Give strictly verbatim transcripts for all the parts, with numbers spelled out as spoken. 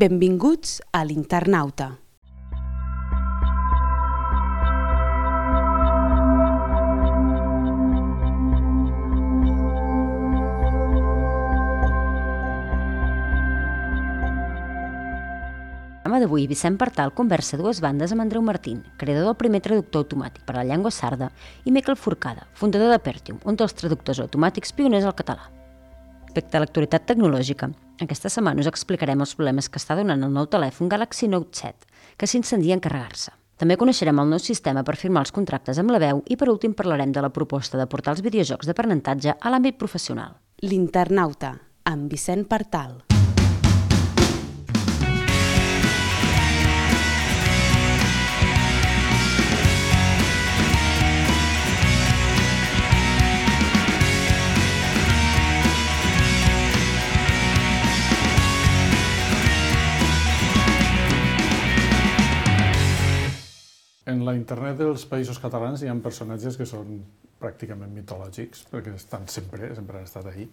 Benvinguts a l'Internauta. D'avui, Vicent Partal conversa a dues bandes amb Andreu Martín, creador del primer traductor automàtic per a la llengua sarda, i Miquel Forcada, fundador d'Apertium, un dels traductors automàtics pioners al català. Respecte a l'actualitat tecnològica, aquesta setmana us explicarem els problemes que està donant el nou telèfon Galaxy Note set, que s'incendia en carregar-se. També coneixerem el nou sistema per firmar els contractes amb la veu i, per últim, parlarem de la proposta de portar els videojocs d'aprenentatge a l'àmbit professional. L'Internauta, amb Vicent Partal. En la internet dels Països Catalans hi ha personatges que són pràcticament mitològics, perquè estan sempre, sempre han estat ahí,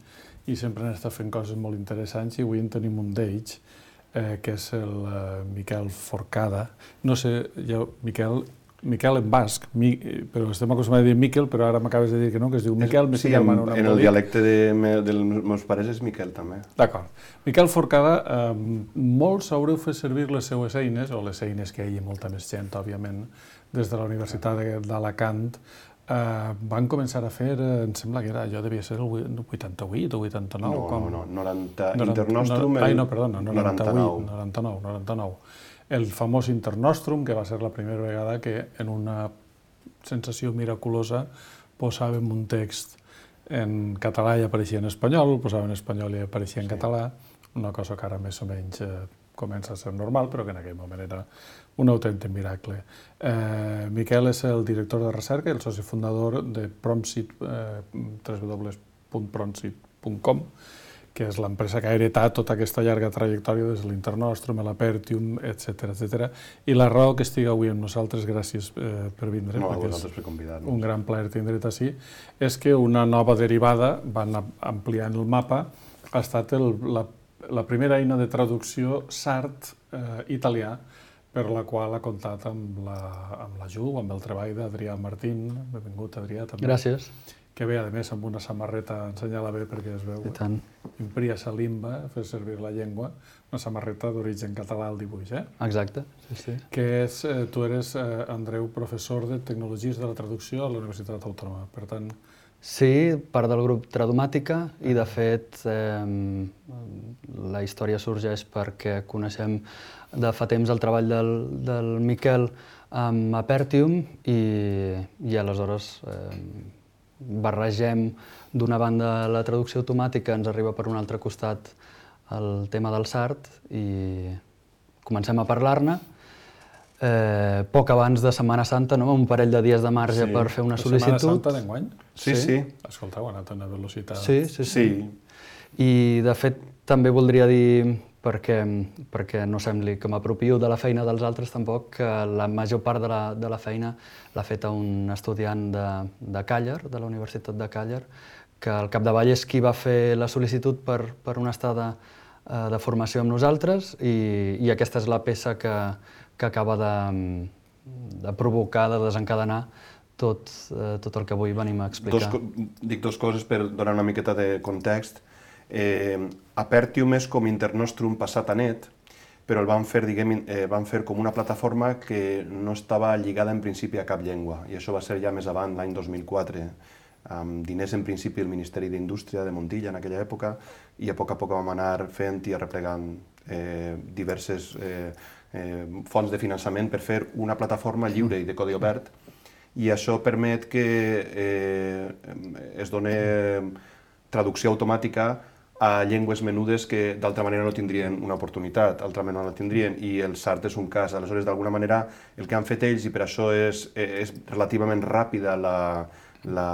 i sempre han estat fent coses molt interessants, i avui en tenim un d'ells, eh, que és el eh, Miquel Forcada. No sé, jo, Miquel, Miquel en basc, mi, però estem acostumats a dir Miquel, però ara m'acabes de dir que no, que es diu Miquel. Sí, en, en el dialecte de, me, dels meus pares és Miquel, també. D'acord. Miquel Forcada, eh, molts haureu fet servir les seues eines, o les eines que hi ha molta més gent, òbviament, des de la Universitat d'Alacant, eh, van començar a fer, eh, em sembla que era, allò devia ser el vuitanta-vuit o vuitanta-nou. No, com... no, no, noranta, noranta Internostrum... No, ai, no, perdona, noranta-vuit, noranta-nou, noranta-nou. El famós Internostrum, que va ser la primera vegada que en una sensació miraculosa posàvem un text en català i apareixia en espanyol, posàvem en espanyol i apareixia en sí. català, una cosa que ara més o menys eh, comença a ser normal, però que en aquell moment era un autèntic miracle. Eh, Miquel és el director de recerca i el soci fundador de Promsit, eh, w w w punt promsit punt com, que és l'empresa que ha heretat tota aquesta llarga trajectòria des de l'Internostrum, l'Apertium, etcètera, etcètera. I la raó que estigui avui amb nosaltres, gràcies eh, per vindre, no, perquè és per convidar-nos. Un gran plaer tindre't ací, és que una nova derivada, van ampliant el mapa, ha estat el, la, la primera eina de traducció sard eh, italià, per la qual ha comptat amb la, amb la Ju, amb el treball d'Adrià Martín. Benvingut, Adrià, també. Gràcies. Que ve, a més, amb una samarreta, ensenya-la bé perquè es veu, Impria Salimba, fer servir la llengua, una samarreta d'origen català al dibuix, eh? Exacte, sí, sí. Que és, eh, tu eres, eh, Andreu, professor de Tecnologies de la Traducció a la Universitat Autònoma, per tant... Sí, part del grup Tradomàtica, i de fet eh, la història sorgeix perquè coneixem de fa temps el treball del, del Miquel amb Apertium i, i aleshores eh, barregem d'una banda la traducció automàtica, ens arriba per un altre costat el tema del sard i comencem a parlar-ne. Eh, poc abans de Setmana Santa, no? Un parell de dies de marge sí. per fer una sol·licitud. La Setmana Santa d'enguany? Sí, sí. Escolta, ho ha anat a una velocitat. Sí, sí, sí. sí. I de fet també voldria dir, perquè, perquè no sembli que m'apropio de la feina dels altres tampoc, que la major part de la, de la feina l'ha feta un estudiant de, de Càller, de la Universitat de Càller, que al capdavall és qui va fer la sol·licitud per, per una estada eh, de formació amb nosaltres i, i aquesta és la peça que, que acaba de, de provocar, de desencadenar tot, eh, tot el que avui venim a explicar. Dos, dic dues coses per donar una miqueta de context. Eh, Apertium és com Internostrum passat a net, però el van fer, diguem, eh, van fer com una plataforma que no estava lligada en principi a cap llengua, i això va ser ja més avant, l'any dos mil quatre, amb diners en principi del Ministeri d'Indústria de Montilla en aquella època, i a poc a poc vam anar fent i arreplegant eh, diverses eh, eh, fonts de finançament per fer una plataforma lliure i de codi obert, i això permet que eh, es doni traducció automàtica a llengües menudes que d'altra manera no tindrien una oportunitat, d'altra manera no la tindrien, i el sard és un cas. Aleshores, d'alguna manera, el que han fet ells, i per això és, és relativament ràpida la, la,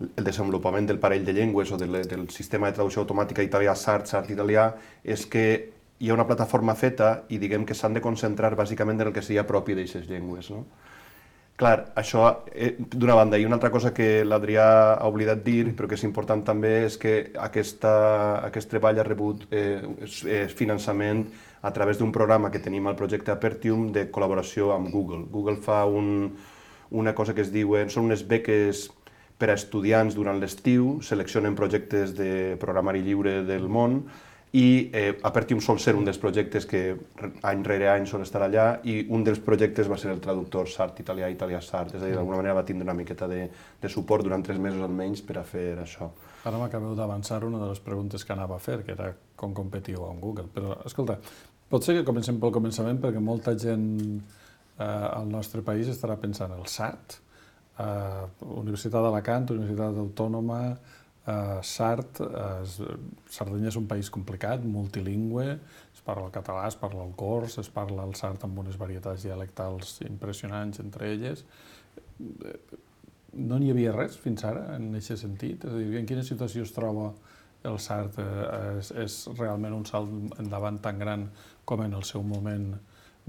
el desenvolupament del parell de llengües o del, del sistema de traducció automàtica italià sard, sard italià, és que hi ha una plataforma feta i diguem que s'han de concentrar bàsicament en el que seria propi d'aquestes llengües, no? Clar, això eh, d'una banda. I una altra cosa que l'Adrià ha oblidat dir, però que és important també, és que aquesta, aquest treball ha rebut eh, finançament a través d'un programa que tenim al projecte Apertium de col·laboració amb Google. Google fa un, una cosa que es diuen, són unes beques per a estudiants durant l'estiu, seleccionen projectes de programari lliure del món, i eh, Apertium sol ser un dels projectes que any rere any sol estar allà, i un dels projectes va ser el traductor Sart italià, italià-Sart, és a dir, d'alguna manera va tindre una miqueta de, de suport durant tres mesos almenys per a fer això. Ara m'acabeu d'avançar una de les preguntes que anava a fer, que era com competiu amb Google, però escolta, potser que comencem pel començament perquè molta gent eh, al nostre país estarà pensant el Sart, eh, Universitat d'Alacant, Universitat Autònoma, Uh, Sart, uh, Sardenya és un país complicat, multilingüe, es parla el català, es parla el cors, es parla el sard amb unes varietats dialectals impressionants entre elles. No n'hi havia res fins ara en aquest sentit? És a dir, en quina situació es troba el sard? Uh, és, és realment un salt endavant tan gran com en el seu moment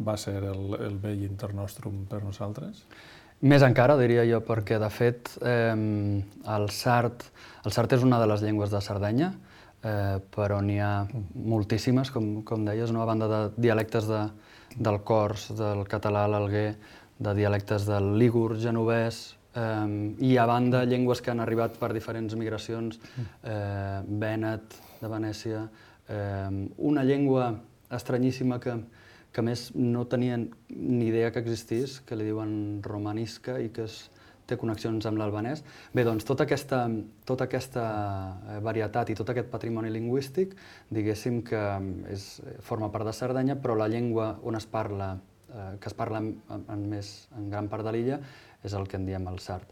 va ser el, el vell Internostrum per nosaltres? Més encara, diria jo, perquè, de fet, eh, el sard, el sard és una de les llengües de Sardenya, eh, però n'hi ha moltíssimes, com, com deies, no? A banda de dialectes de, del cors, del català, l'alguer, de dialectes del lígur, genovès, eh, i a banda llengües que han arribat per diferents migracions, eh, vènet, de Venècia, eh, una llengua estranyíssima que que a més no tenien ni idea que existís, que li diuen romanisca i que es, té connexions amb l'albanès. Bé, doncs tota aquesta, tota aquesta varietat i tot aquest patrimoni lingüístic, diguéssim que és, forma part de Sardenya, però la llengua on es parla, eh, que es parla en, en, més, en gran part de l'illa, és el que en diem el sard.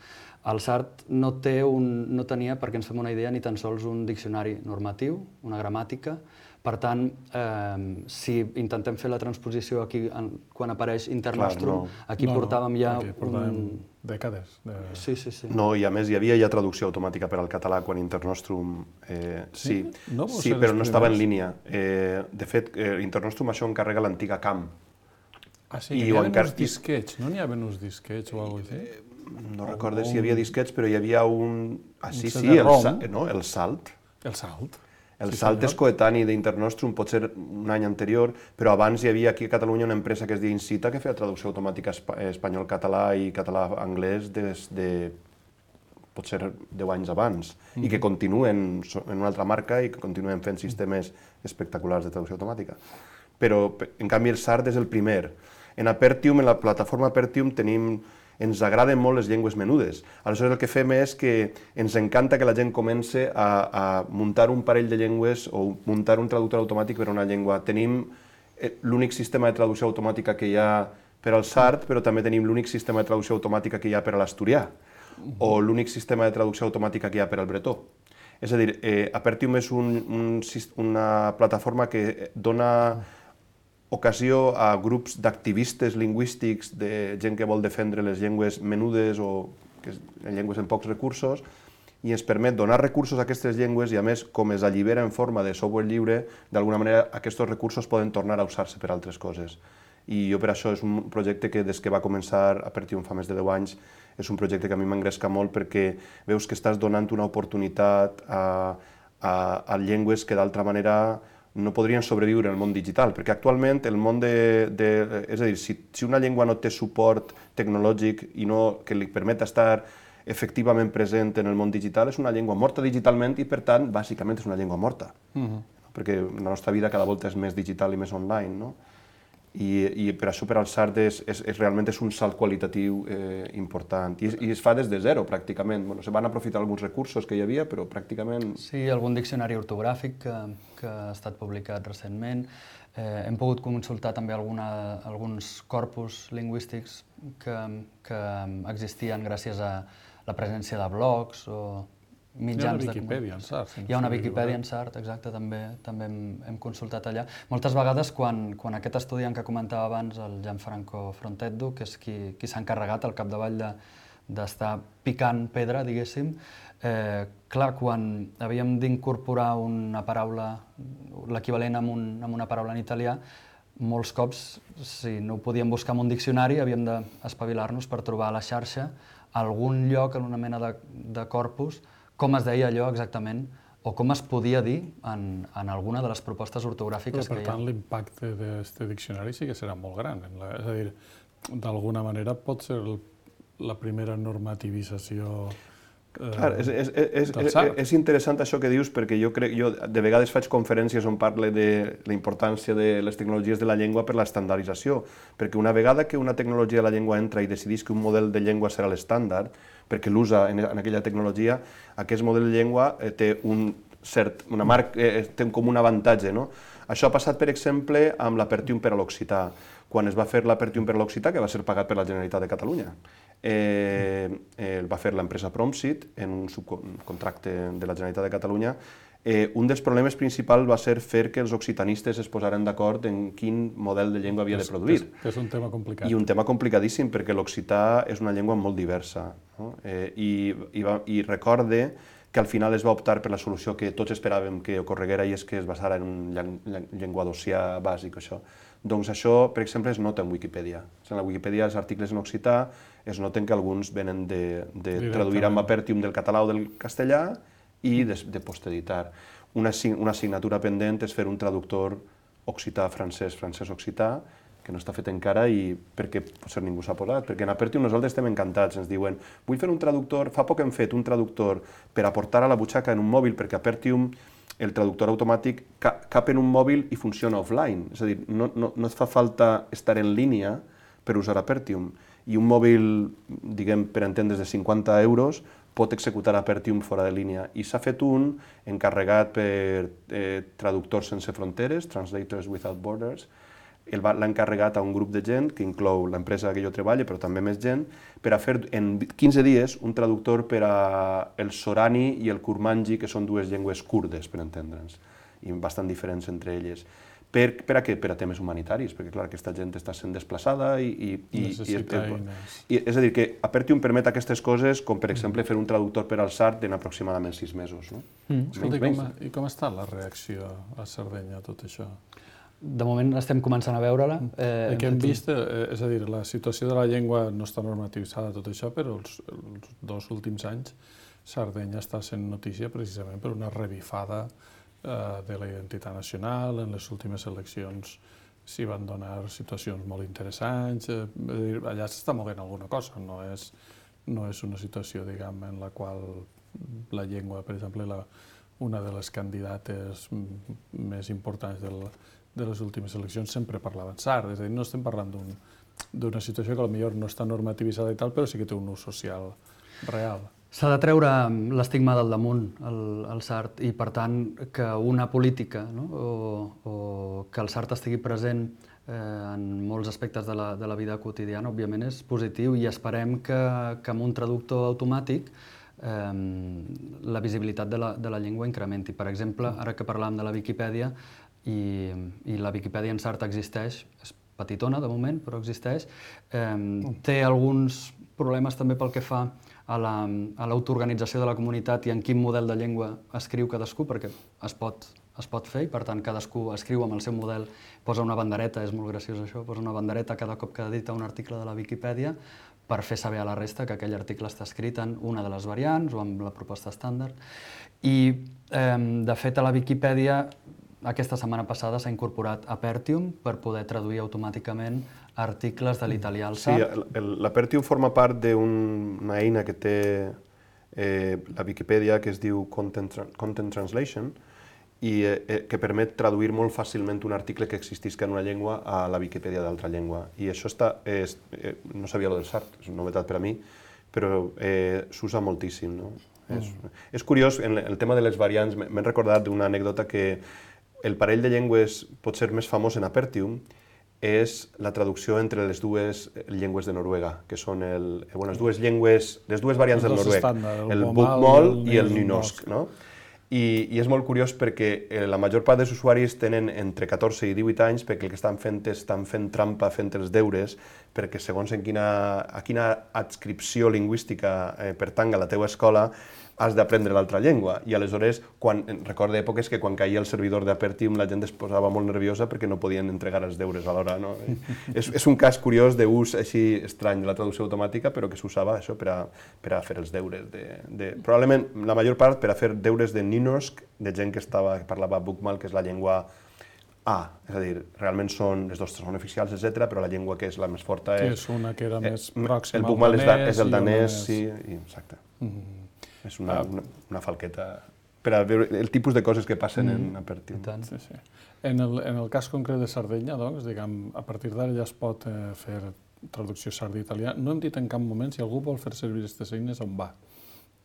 El sard no, té un, no tenia, perquè ens fem una idea, ni tan sols un diccionari normatiu, una gramàtica. Per tant, eh, si intentem fer la transposició aquí, en, quan apareix Internostrum, no. aquí no, portàvem ja... Aquí portàvem un... dècades. De... Sí, sí, sí. No, i a més hi havia ja traducció automàtica per al català quan Internostrum... Eh, sí, sí, no sí però no estava en línia. Eh, de fet, eh, Internostrum això encarrega l'antiga C A M. Ah, sí, hi havia encar... uns disquets, no n'hi havia uns disquets o alguna cosa així? Eh, no recordo si hi havia disquets, però hi havia un... Ah, sí, sí, el, sa... no, el Salt. El Salt. El sí, Salt és coetani d'Internostrum, pot ser un any anterior, però abans hi havia aquí a Catalunya una empresa que es deia Incita, que feia traducció automàtica espanyol-català i català-anglès des de potser deu anys abans, mm. i que continuen en una altra marca i que continuen fent sistemes espectaculars de traducció automàtica. Però, en canvi, el Sard és el primer. En Apertium, en la plataforma Apertium, tenim... ens agraden molt les llengües menudes. Aleshores el que fem és que ens encanta que la gent comence a, a muntar un parell de llengües o muntar un traductor automàtic per a una llengua. Tenim l'únic sistema de traducció automàtica que hi ha per al sard, però també tenim l'únic sistema de traducció automàtica que hi ha per a l'asturià, o l'únic sistema de traducció automàtica que hi ha per al bretó. És a dir, eh, Apertium és un, un, una plataforma que dona ocasió a grups d'activistes lingüístics, de gent que vol defendre les llengües menudes o que llengües amb pocs recursos, i ens permet donar recursos a aquestes llengües i, a més, com es allibera en forma de software lliure, d'alguna manera aquests recursos poden tornar a usar-se per altres coses. I jo per això és un projecte que des que va començar Apertium fa més de deu anys és un projecte que a mi m'engresca molt perquè veus que estàs donant una oportunitat a, a, a llengües que d'altra manera no podrien sobreviure en el món digital, perquè actualment el món de... de és a dir, si, si una llengua no té suport tecnològic i no, que li permet estar efectivament present en el món digital, és una llengua morta digitalment i, per tant, bàsicament és una llengua morta. Uh-huh. Perquè la nostra vida cada volta és més digital i més online, no? I, i per això per al sard és, és, és, realment és un salt qualitatiu eh, important. I, I es fa des de zero, pràcticament. Bueno, se van aprofitar alguns recursos que hi havia, però pràcticament... Sí, algun diccionari ortogràfic que, que ha estat publicat recentment. Eh, hem pogut consultar també alguna, alguns corpus lingüístics que, que existien gràcies a la presència de blogs o mitjans de... Hi ha una Viquipèdia en sard. Hi ha una Viquipèdia en sard, exacte, també, també hem, hem consultat allà. Moltes vegades, quan, quan aquest estudiant que comentava abans, el Gianfranco Frontetto, que és qui, qui s'ha encarregat al capdavall de, d'estar picant pedra, diguéssim, eh, clar, quan havíem d'incorporar una paraula, l'equivalent amb, un, amb una paraula en italià, molts cops, si no ho podíem buscar en un diccionari, havíem d'espavilar-nos per trobar a la xarxa algun lloc, en una mena de, de corpus, com es deia allò exactament, o com es podia dir en, en alguna de les propostes ortogràfiques Però, que hi ha. per tant, l'impacte d'aquest diccionari sí que serà molt gran. En la, és a dir, d'alguna manera pot ser el, la primera normativització eh, Clar, és, és, és, del és, SART. és interessant això que dius, perquè jo crec, jo de vegades faig conferències on parle de la importància de les tecnologies de la llengua per l'estandardització, perquè una vegada que una tecnologia de la llengua entra i decidís que un model de llengua serà l'estàndard, perquè l'usa en, en aquella tecnologia, aquest model de llengua eh, té un cert, una marca, eh, té com un avantatge, no? Això ha passat, per exemple, amb l'Apertium per a l'occità. Quan es va fer l'Apertium per a l'occità, que va ser pagat per la Generalitat de Catalunya, eh, eh, el va fer l'empresa Promsit en un subcontracte de la Generalitat de Catalunya. Eh, un dels problemes principals va ser fer que els occitanistes es posaren d'acord en quin model de llengua havia de produir. És, és un tema complicat. I un tema complicadíssim, perquè l'occità és una llengua molt diversa. No? Eh, i, i, va, I recorde que al final es va optar per la solució que tots esperàvem que ocorreguera, i és que es basara en un llenguadocià bàsic, això. Doncs això, per exemple, es nota en Wikipedia. En la Wikipedia els articles en occità es noten que alguns venen de, de traduir amb Apertium del català o del castellà i de, de posteditar. Una, una assignatura pendent és fer un traductor occità-francès, francès-occità, que no està fet encara i perquè potser ningú s'ha posat, perquè en Apertium nosaltres estem encantats, ens diuen vull fer un traductor, fa poc hem fet un traductor per aportar a la butxaca en un mòbil, perquè Apertium, el traductor automàtic, cap en un mòbil i funciona offline, és a dir, no, no, no et fa falta estar en línia per usar Apertium, i un mòbil, diguem, per entendre's, de cinquanta euros, pot executar Apertium fora de línia, i s'ha fet un encarregat per eh, Traductors Sense Fronteres, Translators Without Borders. L'ha encarregat a un grup de gent, que inclou l'empresa que jo treballo, però també més gent, per a fer en quinze dies un traductor per a el sorani i el kurmanji, que són dues llengües kurdes, per entendre'ns, i bastant diferents entre elles. Per, per a què? Per a temes humanitaris, perquè clar, aquesta gent està sent desplaçada i... i, i necessita i, eines. I, és a dir, que Apertium permet aquestes coses, com per exemple fer un traductor per al SART en aproximadament sis mesos. No? Mm. Escolta, i, com, I com està la reacció a Sardenya a tot això? De moment estem començant a veure-la. Eh, el que hem vist, eh, és a dir, la situació de la llengua no està normativitzada tot això, però els, els dos últims anys Sardenya està sent notícia precisament per una revifada eh, de la identitat nacional. En les últimes eleccions s'hi van donar situacions molt interessants. Eh, dir, allà s'està movent alguna cosa, no és, no és una situació, diguem, en la qual la llengua, per exemple, la, una de les candidates més importants del de les últimes eleccions sempre parlaven sard, és a dir, no estem parlant d'una situació que potser no està normativitzada i tal, però sí que té un ús social real. S'ha de treure l'estigma del damunt, el, el sard, i per tant que una política, no? o, o que el sard estigui present eh, en molts aspectes de la, de la vida quotidiana, òbviament és positiu, i esperem que, que amb un traductor automàtic eh, la visibilitat de la, de la llengua incrementi. Per exemple, ara que parlàvem de la Viquipèdia, I, i la Viquipèdia en sard existeix, és petitona de moment, però existeix. Eh, té alguns problemes també pel que fa a l'autoorganització de la comunitat i en quin model de llengua escriu cadascú, perquè es pot, es pot fer, i per tant cadascú escriu amb el seu model, posa una bandereta, és molt graciós això, posa una bandereta cada cop que edita un article de la Viquipèdia per fer saber a la resta que aquell article està escrit en una de les variants o amb la proposta estàndard. I, eh, de fet, a la Viquipèdia aquesta setmana passada s'ha incorporat Apertium per poder traduir automàticament articles de l'italià al sard. Sí, l'Apertium forma part d'una eina que té eh, la Viquipèdia que es diu Content, Content Translation i eh, que permet traduir molt fàcilment un article que existisca en una llengua a la Viquipèdia d'altra llengua. I això està, és, eh, no sabia lo del sard, és una novetat per a mi, però eh, s'usa moltíssim. No? Mm. És, és curiós, en el tema de les variants, m'he recordat d'una anècdota que el parell de llengües potser més famós en Apertium és la traducció entre les dues llengües de Noruega, que són el, bueno, les dues llengües, les dues variants del noruec, el bokmål i el nynorsk. No? I, I és molt curiós perquè la major part dels usuaris tenen entre catorze i divuit anys, perquè el que estan fent és estan fent trampa, fent els deures, perquè segons en quina, a quina adscripció lingüística eh, pertanga la teva escola, has d'aprendre l'altra llengua. I aleshores, quan, recordo èpoques que quan caia el servidor d'Apertium la gent es posava molt nerviosa perquè no podien entregar els deures alhora. No? és, és un cas curiós d'ús així estrany de la traducció automàtica, però que s'usava això per a, per a fer els deures. De, de, probablement, la major part, per a fer deures de Nynorsk, de gent que, estava, que parlava Bokmål, que és la llengua A, és a dir, realment són, les dues són oficials, etcètera, però la llengua que és la més forta és... Que és una que era més pròxima al danès. El Bokmål és el danès, sí, exacte. És una, una, una falqueta per a veure el tipus de coses que passen en Apertium. Sí, sí. En el, en el cas concret de Sardenya, doncs, diguem, a partir d'ara ja es pot eh, fer traducció sardí-italià. No hem dit en cap moment si algú vol fer servir aquestes eines on va.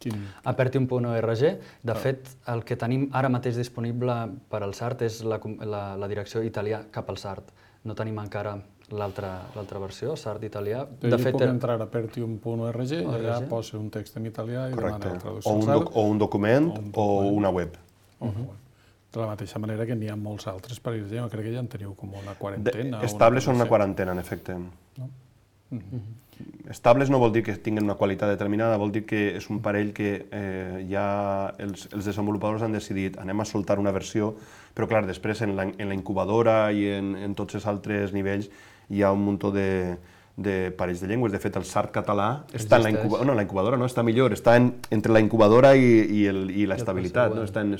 Quin... Apertium punt org. De fet, el que tenim ara mateix disponible per al Sart és la, la, la direcció italià cap al Sart. No tenim encara l'altra versió, Sart italià. De fet, puc entrar a apertium punt org i allà posa un text en italià i demana la traducció al Sart. O un document o una web. De la mateixa manera que n'hi ha molts altres països. Jo crec que ja en teniu com una quarantena. Estables són una quarantena, en efecte. Estables no vol dir que tinguin una qualitat determinada, vol dir que és un parell que eh, ja els, els desenvolupadors han decidit anem a soltar una versió, però clar, després en la, en la incubadora i en, en tots els altres nivells hi ha un munt de, de parells de llengües. De fet, el Sart català està en la incubadora, no, la incubadora no, està millor, està en, entre la incubadora i, i, el, i l'estabilitat. No? Està en,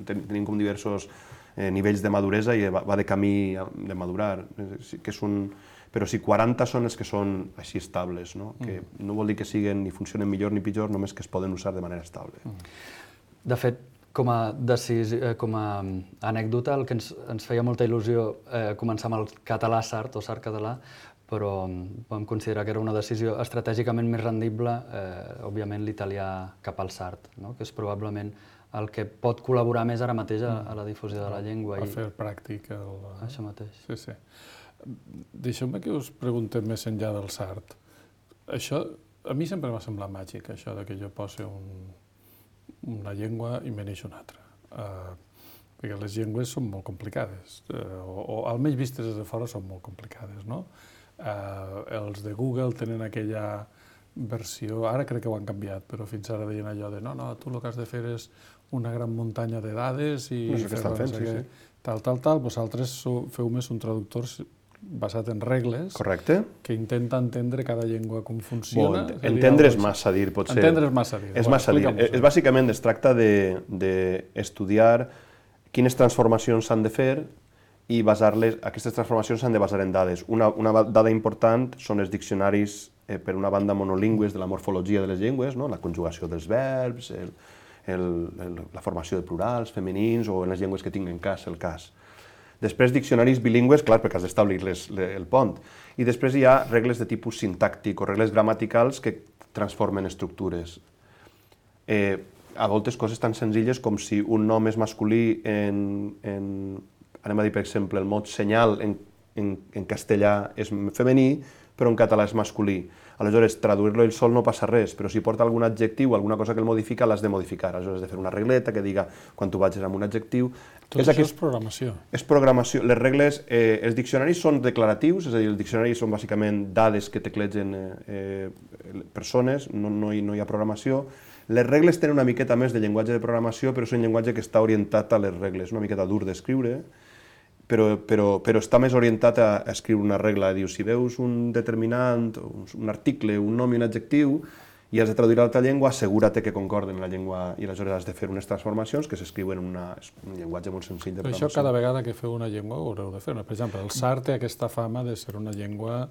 tenim com diversos eh, nivells de maduresa i va, va de camí de madurar, que és un... Però si quaranta són els que són així estables, no? Que no vol dir que siguin ni funcionen millor ni pitjor, només que es poden usar de manera estable. De fet, com a, decisi, com a anècdota, el que ens, ens feia molta il·lusió eh, començar amb el català Sart o Sart català, però vam considerar que era una decisió estratègicament més rendible, eh, òbviament l'italià cap al Sart, no? Que és probablement el que pot col·laborar més ara mateix a, a la difusió de la llengua. A fer pràctic. El... Això mateix. Sí, sí. Deixeu-me que us preguntem més enllà del Sart. Això, a mi sempre m'ha semblat màgic, això de que jo posi un, una llengua i me neix una altra. Uh, perquè les llengües són molt complicades, uh, o, o almenys vistes des de fora són molt complicades, no? Uh, els de Google tenen aquella versió, ara crec que ho han canviat, però fins ara deien allò de no, no, tu el que has de fer és una gran muntanya de dades i no sé què estan fent, sí, sí. tal, tal, tal, vosaltres feu més un traductor basat en regles, correcte, que intenta entendre cada llengua com funciona. Bon, entendre és massa dir, potser. Entendre és massa dir. És massa dir. És, bàsicament es tracta d'estudiar quines transformacions s'han de fer i basar-les, aquestes transformacions s'han de basar en dades. Una, una dada important són els diccionaris, eh, per una banda, monolingües de la morfologia de les llengües, no? La conjugació dels verbs, el, el, el, la formació de plurals, femenins, o en les llengües que tinguen cas, el cas. Després, diccionaris bilingües, clar, perquè has d'establir el pont. I després hi ha regles de tipus sintàctic o regles gramaticals que transformen estructures. Eh, a voltes coses tan senzilles com si un nom és masculí en, en anem a dir, per exemple, el mot senyal en, en, en castellà és femení, però en català és masculí. Aleshores, traduir-lo ell sol no passa res, però si porta algun adjectiu o alguna cosa que el modifica, l'has de modificar. Aleshores, has de fer una regleta que diga quan tu vagis amb un adjectiu. Tot és això aquest... és programació. És programació. Les regles, eh, els diccionaris són declaratius, és a dir, els diccionaris són bàsicament dades que teclegen eh, persones, no, no, hi, no hi ha programació. Les regles tenen una miqueta més de llenguatge de programació, però és un llenguatge que està orientat a les regles, una miqueta dur d'escriure, però, però, però està més orientat a, a escriure una regla. Diu, si veus un determinant, un, un article, un nom i un adjectiu, i has de traduir a l'altra llengua, assegura't que concorden la llengua, i aleshores has de fer unes transformacions que s'escriuen en una, un llenguatge molt senzill de però programació. Això cada vegada que feu una llengua ho haureu de fer. Per exemple, el Sart té aquesta fama de ser una llengua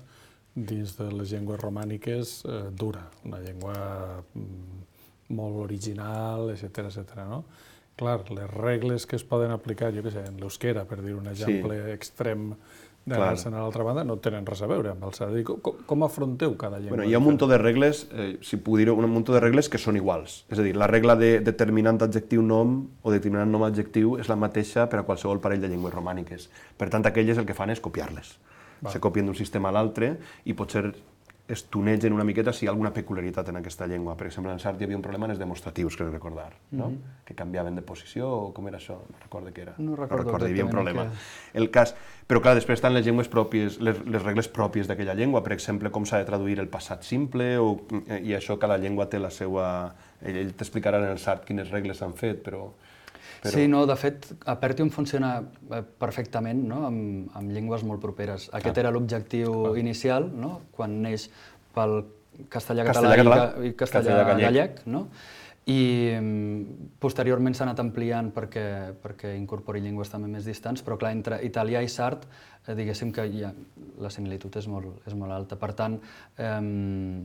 dins de les llengües romàniques eh, dura, una llengua mm, molt original, etcètera, etcètera, no? Clar, les regles que es poden aplicar, jo què sé, en l'euskera, per dir un exemple sí. extrem d'anar-se'n a l'altra banda, no tenen res a veure amb el Sart. Com, com afronteu cada llengua? Bueno, hi ha un munt de regles, eh, si puc dir-ho, un munt de regles que són iguals. És a dir, la regla de determinant adjectiu-nom o determinant nom-adjectiu és la mateixa per a qualsevol parell de llengües romàniques. Per tant, aquelles el que fan és copiar-les. Se copien d'un sistema a l'altre i potser es tunegen una miqueta si hi ha alguna peculiaritat en aquesta llengua. Per exemple, en Sart hi havia un problema en els demostratius, crec recordar, no? Mm-hmm. Que canviaven de posició, o com era això? No recordo què era. No recordo, no recordo hi havia un problema. Que... El cas... Però clar, després estan les llengües pròpies, les, les regles pròpies d'aquella llengua, per exemple, com s'ha de traduir el passat simple, o, i això cada llengua té la seva... Ell, ell t'explicarà en el Sart quines regles s'han fet, però... Però... Sí, no, de fet, Apertium funciona perfectament, no? amb, amb llengües molt properes. Aquest ah. era l'objectiu inicial, no? Quan neix pel castellà-català castellà, i castellà-gallec, no? I posteriorment s'ha anat ampliant perquè, perquè incorpori llengües també més distants, però clar, entre italià i sard, eh, diguéssim que ja, la similitud és molt, és molt alta. Per tant, eh,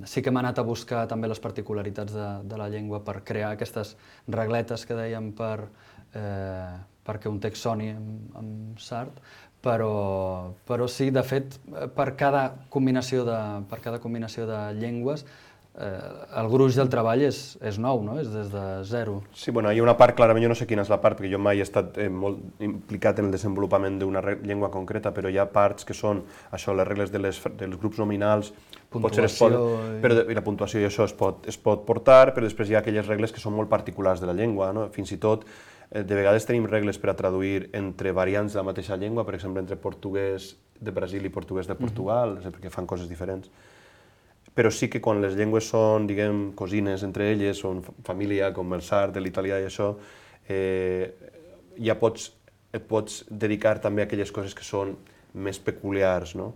sí que hem anat a buscar també les particularitats de, de la llengua per crear aquestes regletes que dèiem per, eh, perquè un text soni amb, amb sard, però, però sí, de fet, per cada combinació de, per cada combinació de llengües, eh, el gruix del treball és, és nou, no? És des de zero. Sí, bueno, hi ha una part, clarament, jo no sé quina és la part, perquè jo mai he estat eh, molt implicat en el desenvolupament d'una llengua concreta, però hi ha parts que són, això, les regles de les, dels grups nominals, potser es pot, però, i la puntuació i això es pot, es pot portar, però després hi ha aquelles regles que són molt particulars de la llengua, no? Fins i tot, eh, de vegades tenim regles per a traduir entre variants de la mateixa llengua, per exemple, entre portuguès de Brasil i portuguès de Portugal, mm-hmm. perquè fan coses diferents. Però sí que quan les llengües són, diguem, cosines entre elles, són família, com el sard, l'italià i això, eh, ja pots, et pots dedicar també a aquelles coses que són més peculiars, no?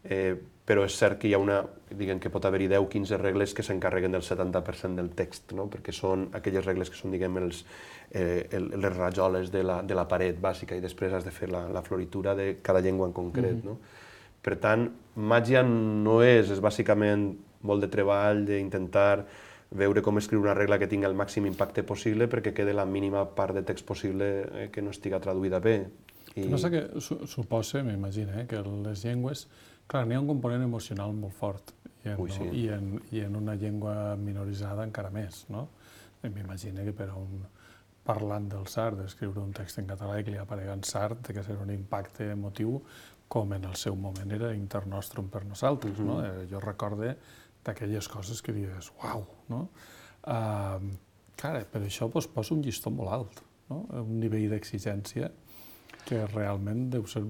Eh, però és cert que hi ha una, diguem que pot haver-hi deu o quinze regles que s'encarreguen del setanta per cent del text, no? Perquè són aquelles regles que són, diguem, els, eh, les rajoles de la, de la paret bàsica i després has de fer la, la floritura de cada llengua en concret, mm-hmm. no? Per tant, màgia no és, és bàsicament molt de treball, d'intentar veure com escriure una regla que tingui el màxim impacte possible perquè quede la mínima part de text possible eh, que no estiga traduïda bé. I... No sé què suposa, m'imagino, eh, que les llengües, clar, n'hi ha un component emocional molt fort i en, Ui, sí. no? I en, i en una llengua minoritzada encara més, no? M'imagino que per a un parlant del sard, escriure un text en català i que li aparega en sard, té que ser un impacte emotiu com en el seu moment era Internostrum per nosaltres, mm-hmm. no? Eh, jo recorde d'aquelles coses que dius, uau, no? Uh, clar, per això pues, posa un llistó molt alt, no? Un nivell d'exigència que realment deu ser...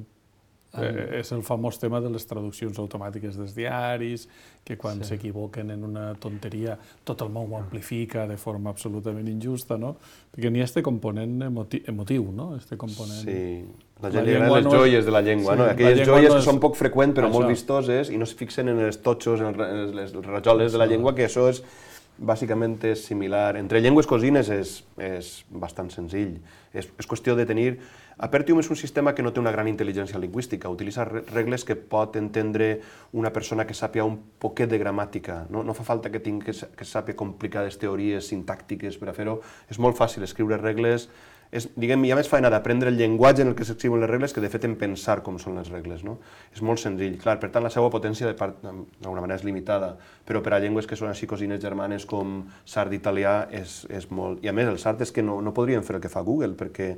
Eh, és el famós tema de les traduccions automàtiques dels diaris, que quan sí. s'equivoquen en una tonteria tot el món ho amplifica de forma absolutament injusta, no? Perquè n'hi ha este component emoti emotiu, no? Este component... Sí, la gent li agraden les joies de la llengua, sí, no? Aquelles joies no és... que són poc freqüents però això. Molt vistoses i no es fixen en els totxos, en les rajoles això. De la llengua, que això és bàsicament és similar. Entre llengües cosines és, és bastant senzill. És, és qüestió de tenir... Apertium és un sistema que no té una gran intel·ligència lingüística, utilitza regles que pot entendre una persona que sàpia un poquet de gramàtica. No, no fa falta que tingui que, que sàpia complicades teories sintàctiques per a fer-ho. És molt fàcil escriure regles. És, diguem, hi ha més feina d'aprendre el llenguatge en el que s'escriuen les regles que de fet en pensar com són les regles, no? És molt senzill. Clar, per tant, la seva potència d'alguna manera és limitada, però per a llengües que són així cosines germanes com sard italià és, és molt... I a més, el sard és que no, no podrien fer el que fa Google, perquè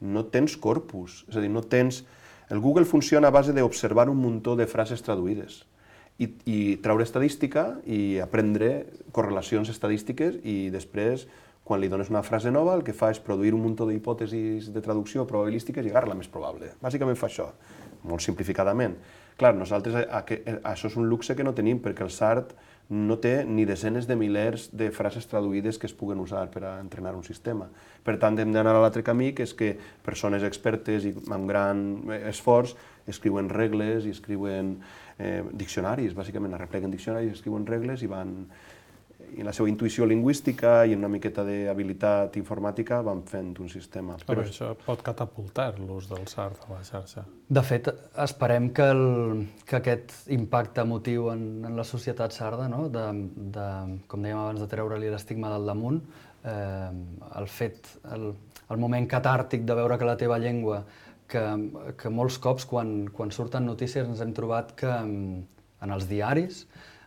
no tens corpus, és a dir, no tens... El Google funciona a base d'observar un muntó de frases traduïdes i, i treure estadística i aprendre correlacions estadístiques i després, quan li dones una frase nova, el que fa és produir un muntó d'hipòtesis de traducció probabilístiques i agarrar la més probable. Bàsicament fa això, molt simplificadament. Clar, nosaltres a, a, a, això és un luxe que no tenim, perquè el sard no té ni desenes de milers de frases traduïdes que es puguen usar per a entrenar un sistema. Per tant, hem d'anar a l'altre camí, que és que persones expertes i amb gran esforç escriuen regles i escriuen eh, diccionaris, bàsicament arrepleguen diccionaris, escriuen regles i van... i en la seva intuïció lingüística i en una miqueta d'habilitat informàtica van fent un sistema. Però això pot catapultar l'ús del sard a la xarxa. De fet, esperem que, el, que aquest impacte emotiu en, en la societat sarda, no? de, de, com dèiem abans, de treure-li l'estigma del damunt, eh, el fet, el, el moment catàrtic de veure que la teva llengua, que, que molts cops quan, quan surten notícies ens hem trobat que en els diaris,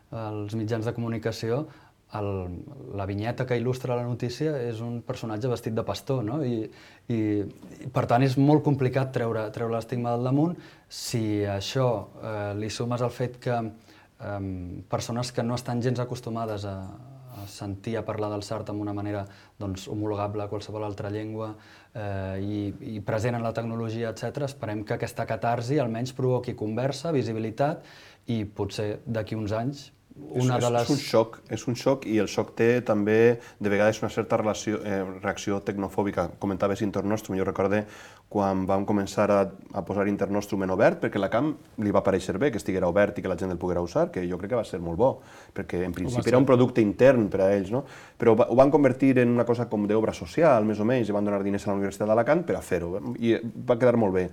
els mitjans de comunicació, El, la vinyeta que il·lustra la notícia és un personatge vestit de pastor, no? I, i, i per tant és molt complicat treure, treure l'estigma del damunt. Si això eh, li sumes el fet que persones que no estan gens acostumades a, a sentir a parlar del Sartre amb una manera doncs, homologable a qualsevol altra llengua eh, i, i present en la tecnologia, etcètera. Esperem que aquesta catarsi almenys provoqui conversa, visibilitat i potser d'aquí uns anys una és, de les... és un xoc, és un xoc i el xoc té també de vegades una certa relació, eh, reacció tecnofòbica. Comentaves Internostrum, jo recorde quan vam començar a, a posar Internostrum en obert, perquè la camp li va pareixer bé que estiguera obert i que la gent el poguera usar, que jo crec que va ser molt bo, perquè en principi era un producte intern per a ells, no? Però ho van convertir en una cosa com d'obra social, més o menys, i van donar diners a la Universitat d'Alacant per a fer-ho, i va quedar molt bé.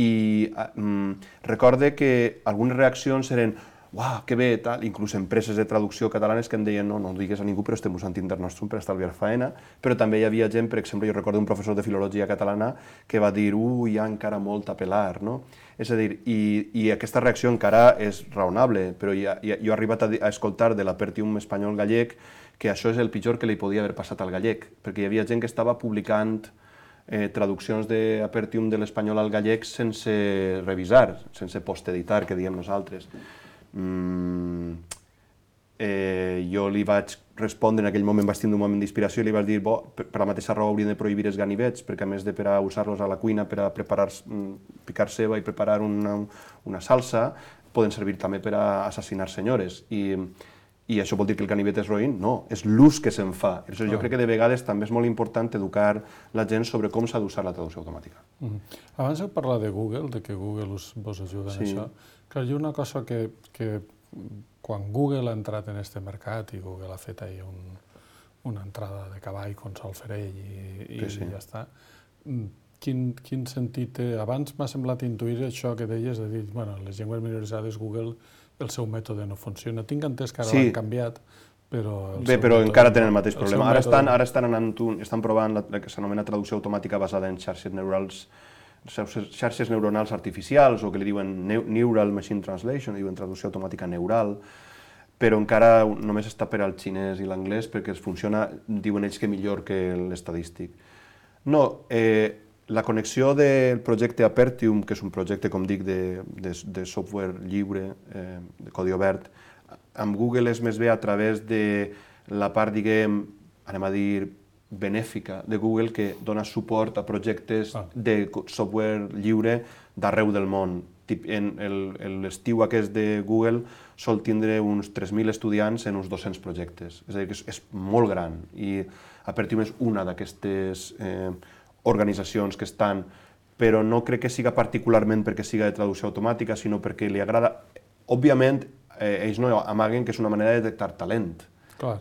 I mm, recorde que algunes reaccions eren uau, que bé, tal, inclús empreses de traducció catalanes que em deien no, no ho digues a ningú, però estem usant Internostrum per estalviar faena, però també hi havia gent, per exemple, jo recordo un professor de filologia catalana que va dir, uh, hi ha encara molt a pelar, no? És a dir, i, i aquesta reacció encara és raonable, però ja, ja, jo he arribat a, a escoltar de l'Apertium espanyol gallec que això és el pitjor que li podia haver passat al gallec, perquè hi havia gent que estava publicant eh, traduccions d'Apertium de l'espanyol al gallec sense revisar, sense posteditar, que diem nosaltres. Mm, eh, jo li vaig respondre, en aquell moment vaig tindre un moment d'inspiració i li vaig dir, bo, per, per la mateixa raó haurien de prohibir els ganivets, perquè a més de per a usar-los a la cuina per a preparar, picar ceba i preparar una, una salsa, poden servir també per a assassinar senyores. I, i això vol dir que el ganivet és roïn? No, és l'ús que se'n fa. Jo ah. crec que de vegades també és molt important educar la gent sobre com s'ha d'usar la traducció automàtica. Mm-hmm. Abans heu parlat de Google, de que Google us, vos ajuda en sí. això. Clar, hi ha una cosa que, que quan Google ha entrat en aquest mercat i Google ha fet ahir un, una entrada de cavall con Sol Ferell i, i, sí, sí. i ja està, quin, quin sentit té? Abans m'ha semblat intuir això que deies de dir, bueno, les llengües minoritzades Google el seu mètode no funciona. Tinc entès que ara sí. l'han canviat, però... Bé, però encara tenen el mateix el problema. Ara estan, ara estan, anant, estan provant la, la que s'anomena traducció automàtica basada en xarxes neurals, xarxes neuronals artificials, o que li diuen Neural Machine Translation, diuen traducció automàtica neural, però encara només està per al xinès i l'anglès perquè es funciona, diuen ells que millor que l'estadístic. No, eh, la connexió del projecte Apertium, que és un projecte, com dic, de, de, de software lliure, eh, de codi obert, amb Google és més bé a través de la part, diguem, anem a dir, benèfica de Google, que dona suport a projectes ah. de software lliure d'arreu del món. En l'estiu aquest de Google sol tindre uns tres mil estudiants en uns dos-cents projectes. És a dir, que és, és molt gran. I Apertium és una d'aquestes eh, organitzacions que estan, però no crec que siga particularment perquè siga de traducció automàtica, sinó perquè li agrada... Òbviament, eh, ells no amaguen que és una manera de detectar talent. Clar.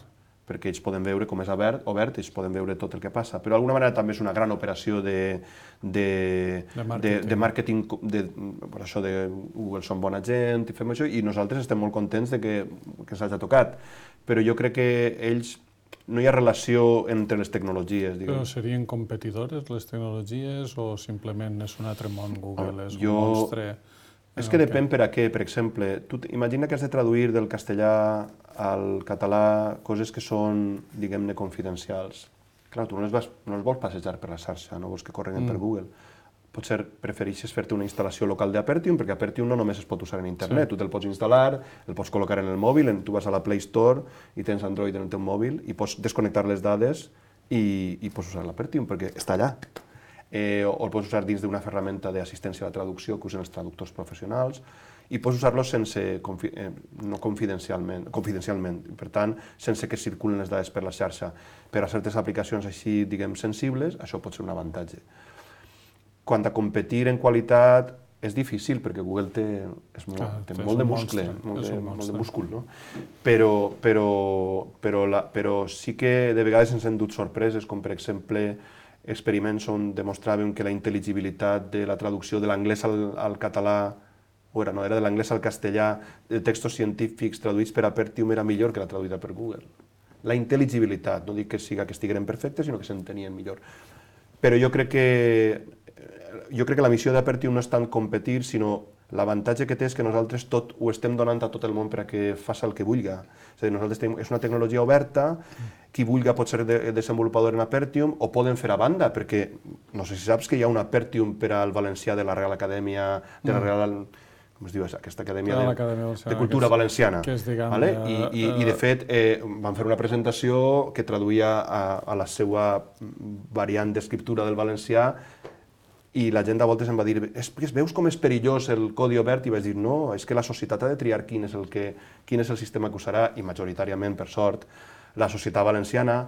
Perquè ells poden veure com és obert, obert, ells poden veure tot el que passa. Però d'alguna manera també és una gran operació de, de, de màrqueting, de, de, màrqueting de, per això de Google són bona gent i fem això, i nosaltres estem molt contents de que, que s'hagi tocat. Però jo crec que ells, no hi ha relació entre les tecnologies. Diguem. Però serien competidores les tecnologies o simplement és un altre món Google, és jo... un monstre... És que depèn per a què, per exemple, tu imagina que has de traduir del castellà al català coses que són, diguem-ne, confidencials. Clar, tu no les, vas, no les vols passejar per la xarxa, no vols que correguen mm. per Google. Potser prefereixes fer-te una instal·lació local d'Apertium, perquè Apertium no només es pot usar en internet, sí. Tu te'l pots instal·lar, el pots col·locar en el mòbil, en, tu vas a la Play Store i tens Android en el teu mòbil i pots desconnectar les dades i, i pots usar l'Apertium, perquè està allà. Eh, o el pots usar dins d'una ferramenta d'assistència a la traducció que usen els traductors professionals i pots usar-lo sense, confi eh, no confidencialment, confidencialment, per tant, sense que circulen les dades per la xarxa. Per a certes aplicacions així, diguem, sensibles, això pot ser un avantatge. Quant a competir en qualitat, és difícil, perquè Google té, és molt, ah, té molt de muscle, molt de, molt de múscul, no? Però, però, però, la, però sí que de vegades ens hem dut sorpreses, com per exemple, experiments on demostraven que la intel·ligibilitat de la traducció de l'anglès al, al català, o era, no, era de l'anglès al castellà, de textos científics traduïts per Apertium era millor que la traduïda per Google. La intel·ligibilitat, no dic que siga que estigueren perfectes, sinó que s'entenien millor. Però jo crec que, jo crec que la missió d'Apertium no és tant competir, sinó l'avantatge que té és que nosaltres tot ho estem donant a tot el món per a que faci el que vulgui. És a dir, nosaltres tenim, és una tecnologia oberta, qui vulgui pot ser de, desenvolupador en Apertium o poden fer a banda, perquè no sé si saps que hi ha un Apertium per al valencià de la Real Acadèmia, de la Real... com es diu, aquesta Acadèmia Ah, de, l'Acadèmia Valenciana, de Cultura que és- Valenciana. que és, diguem, vale? eh, I, i, I, de eh, fet, eh, van fer una presentació que traduïa a, a la seva variant d'escriptura del valencià i la gent a voltes em va dir es, veus com és perillós el codi obert? I vaig dir, no, és que la societat ha de triar quin és el, que, quin és el sistema que usarà i majoritàriament, per sort, la societat valenciana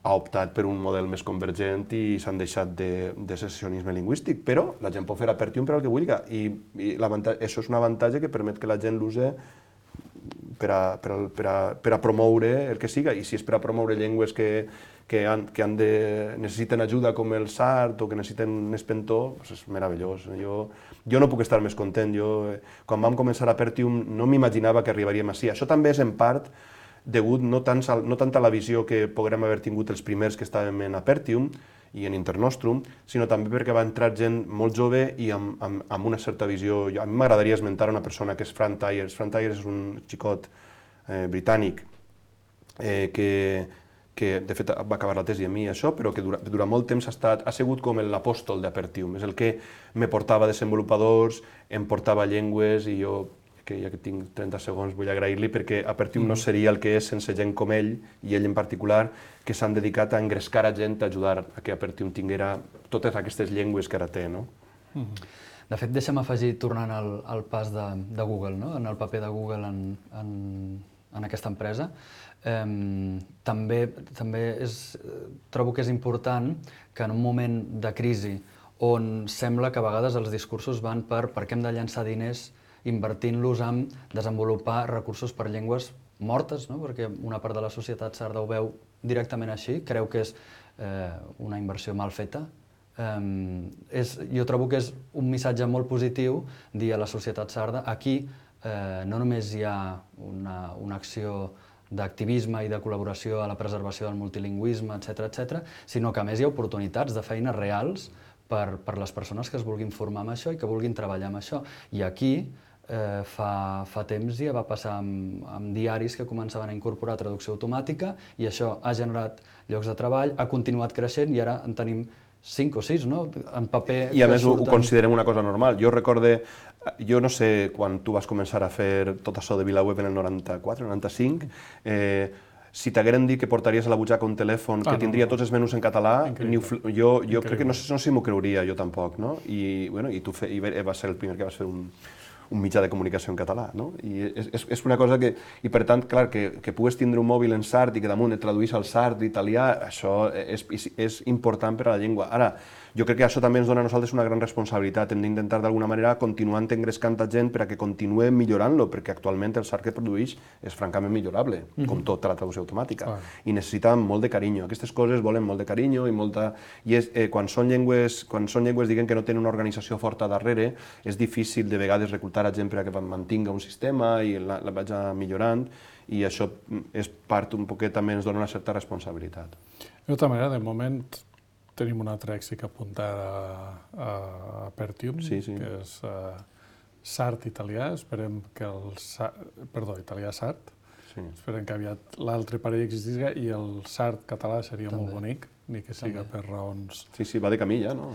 ha optat per un model més convergent i s'han deixat de, de secessionisme lingüístic, però la gent pot fer Apertium per al que vulgui i, i això és un avantatge que permet que la gent l'use per a, per, a, per, a, per a promoure el que siga, i si és per a promoure llengües que, que, han, que han de, necessiten ajuda com el sard o que necessiten un espentó, doncs és meravellós. Jo, jo no puc estar més content. Jo, quan vam començar Apertium no m'imaginava que arribaríem així. Això també és en part degut no tant, no tant a la visió que podrem haver tingut els primers que estàvem en Apertium i en Internostrum, sinó també perquè va entrar gent molt jove i amb, amb, amb una certa visió. A mi m'agradaria esmentar una persona que és Fran Tyers. Fran Tyers és un xicot eh, britànic eh, que, que de fet va acabar la tesi a mi això, però que dura, durant molt temps ha, estat, ha sigut com l'apòstol d'Apertium. És el que me portava desenvolupadors, em portava llengües i jo, que ja que tinc trenta segons, vull agrair-li perquè Apertium no seria el que és sense gent com ell, i ell en particular, que s'han dedicat a engrescar a gent, a ajudar a que Apertium tinguera totes aquestes llengües que ara té, no? De fet, deixa'm afegir, tornant al, al pas de, de Google, no? En el paper de Google en, en, en aquesta empresa, eh, també, també és, trobo que és important que en un moment de crisi on sembla que a vegades els discursos van per per què hem de llançar diners invertint-los en desenvolupar recursos per llengües mortes, no? Perquè una part de la societat sarda ho veu directament així, creu que és eh, una inversió mal feta. Um, és, jo trobo que és un missatge molt positiu dir a la societat sarda aquí eh, no només hi ha una, una acció d'activisme i de col·laboració a la preservació del multilingüisme, etcètera, etcètera, sinó que a més hi ha oportunitats de feines reals per, per les persones que es vulguin formar amb això i que vulguin treballar amb això. I aquí Eh, fa, fa temps ja va passar amb, amb diaris que començaven a incorporar traducció automàtica i això ha generat llocs de treball, ha continuat creixent i ara en tenim cinc o sis, no? En paper... I a més surten... ho considerem una cosa normal. Jo recorde, jo no sé quan tu vas començar a fer tot això de VilaWeb en el noranta-quatre, noranta-cinc, eh, si t'hagueren dit que portaries a la butxaca un telèfon que ah, tindria no, tots els menús en català, ni, jo, jo crec que no sé, no sé si m'ho creuria jo tampoc, no? I, bueno, i tu fe, i va ser el primer que vas fer un, un mitjà de comunicació en català, no? I és, és una cosa que, i per tant, clar, que, que pugues tindre un mòbil en sard i que damunt et traduís al sard italià, això és, és, és important per a la llengua. Ara, jo crec que això també ens dona a nosaltres una gran responsabilitat. Hem d'intentar d'alguna manera continuant engrescant a gent per a que continuem millorant-lo, perquè actualment el sard que produeix és francament millorable, mm-hmm. com tota la traducció automàtica, ah. i necessita molt de carinyo. Aquestes coses volen molt de carinyo i molta... I és, eh, quan són llengües, quan són llengües diguem que no tenen una organització forta darrere, és difícil de vegades reclutar a gent per a que mantinga un sistema i la, la vagi millorant, i això és part un poquet també ens dona una certa responsabilitat. De tota manera, de moment tenim un altre èxit apuntat a, a Apertium, sí, sí. que és uh, sard italià. Esperem que el sard, perdó, italià sard. Sí. Esperem que aviat l'altre parell existisca i el sard català seria també. Molt bonic, ni que siga també. Per raons... Sí, sí, va de camí ja, no?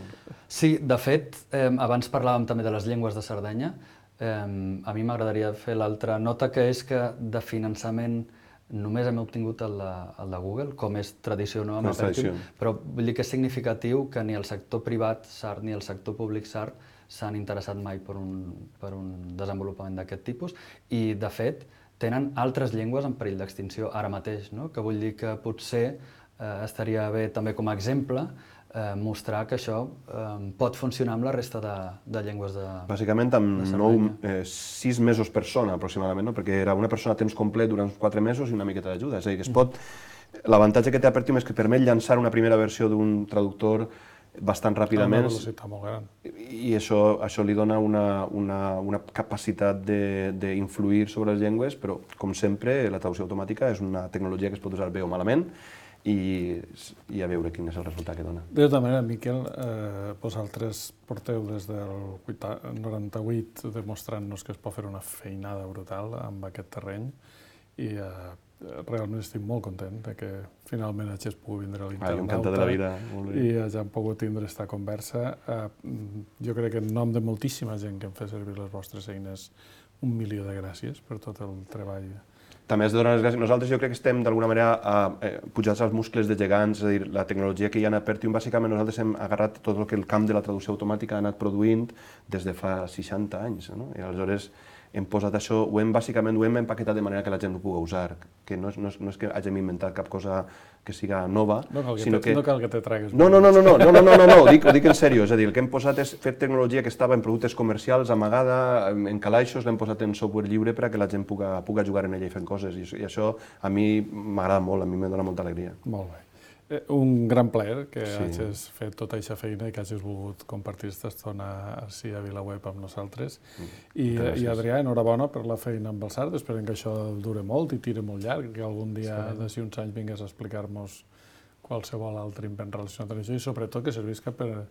Sí, de fet, eh, abans parlàvem també de les llengües de Sardenya. Eh, a mi m'agradaria fer l'altra nota, que és que de finançament només hem obtingut el de, el de Google, com és tradició no amb Apertium, però vull dir que és significatiu que ni el sector privat sard ni el sector públic sard s'han interessat mai per un, per un desenvolupament d'aquest tipus i, de fet, tenen altres llengües en perill d'extinció ara mateix, no? Que vull dir que potser eh, estaria bé també com a exemple eh, mostrar que això eh, pot funcionar amb la resta de, de llengües de Bàsicament amb nou, eh, sis mesos per persona, aproximadament, no? Perquè era una persona a temps complet durant quatre mesos i una miqueta d'ajuda. És a dir, que es pot... L'avantatge que té Apertium és que permet llançar una primera versió d'un traductor bastant ràpidament. Una velocitat molt gran. I això, això li dona una, una, una capacitat d'influir sobre les llengües, però, com sempre, la traducció automàtica és una tecnologia que es pot usar bé o malament, i, i a veure quin és el resultat que dona. De tota manera, Miquel, eh, vosaltres porteu des del noranta-vuit demostrant-nos que es pot fer una feinada brutal amb aquest terreny i eh, realment estic molt content de que finalment hagis pogut vindre a l'Internauta. Ah, encantat de la vida. I hagin pogut tindre aquesta conversa. Jo crec que en nom de moltíssima gent que em fa servir les vostres eines, un milió de gràcies per tot el treball. També has de donar les gràcies. Nosaltres jo crec que estem d'alguna manera pujats als muscles de gegants, és a dir, la tecnologia que hi ha a Apertium, bàsicament nosaltres hem agarrat tot el que el camp de la traducció automàtica ha anat produint des de fa seixanta anys, no? I aleshores hem posat això, ho hem bàsicament ho hem empaquetat de manera que la gent ho pugui usar, que no és, no és, no és que hàgim inventat cap cosa que siga nova, no cal que sinó te, que... No cal que te tragues... No, no, no, no, no, no, no, no, no, no, ho dic, ho dic en sèrio, és a dir, el que hem posat és fer tecnologia que estava en productes comercials, amagada, en calaixos, l'hem posat en software lliure per a que la gent puga, puga jugar en ella i fent coses, i, i això a mi m'agrada molt, a mi me dona molta alegria. Molt bé. Un gran plaer que Sí. hagis fet tota aquesta feina i que hagis volgut compartir aquesta estona així a VilaWeb amb nosaltres. I, Gràcies. I Adrià, enhorabona per la feina amb el SARD. Esperem que això dure molt i tire molt llarg, que algun dia, d'ací uns anys, vingués a explicar-nos qualsevol altre invent relacionat amb això i sobretot que servisca per,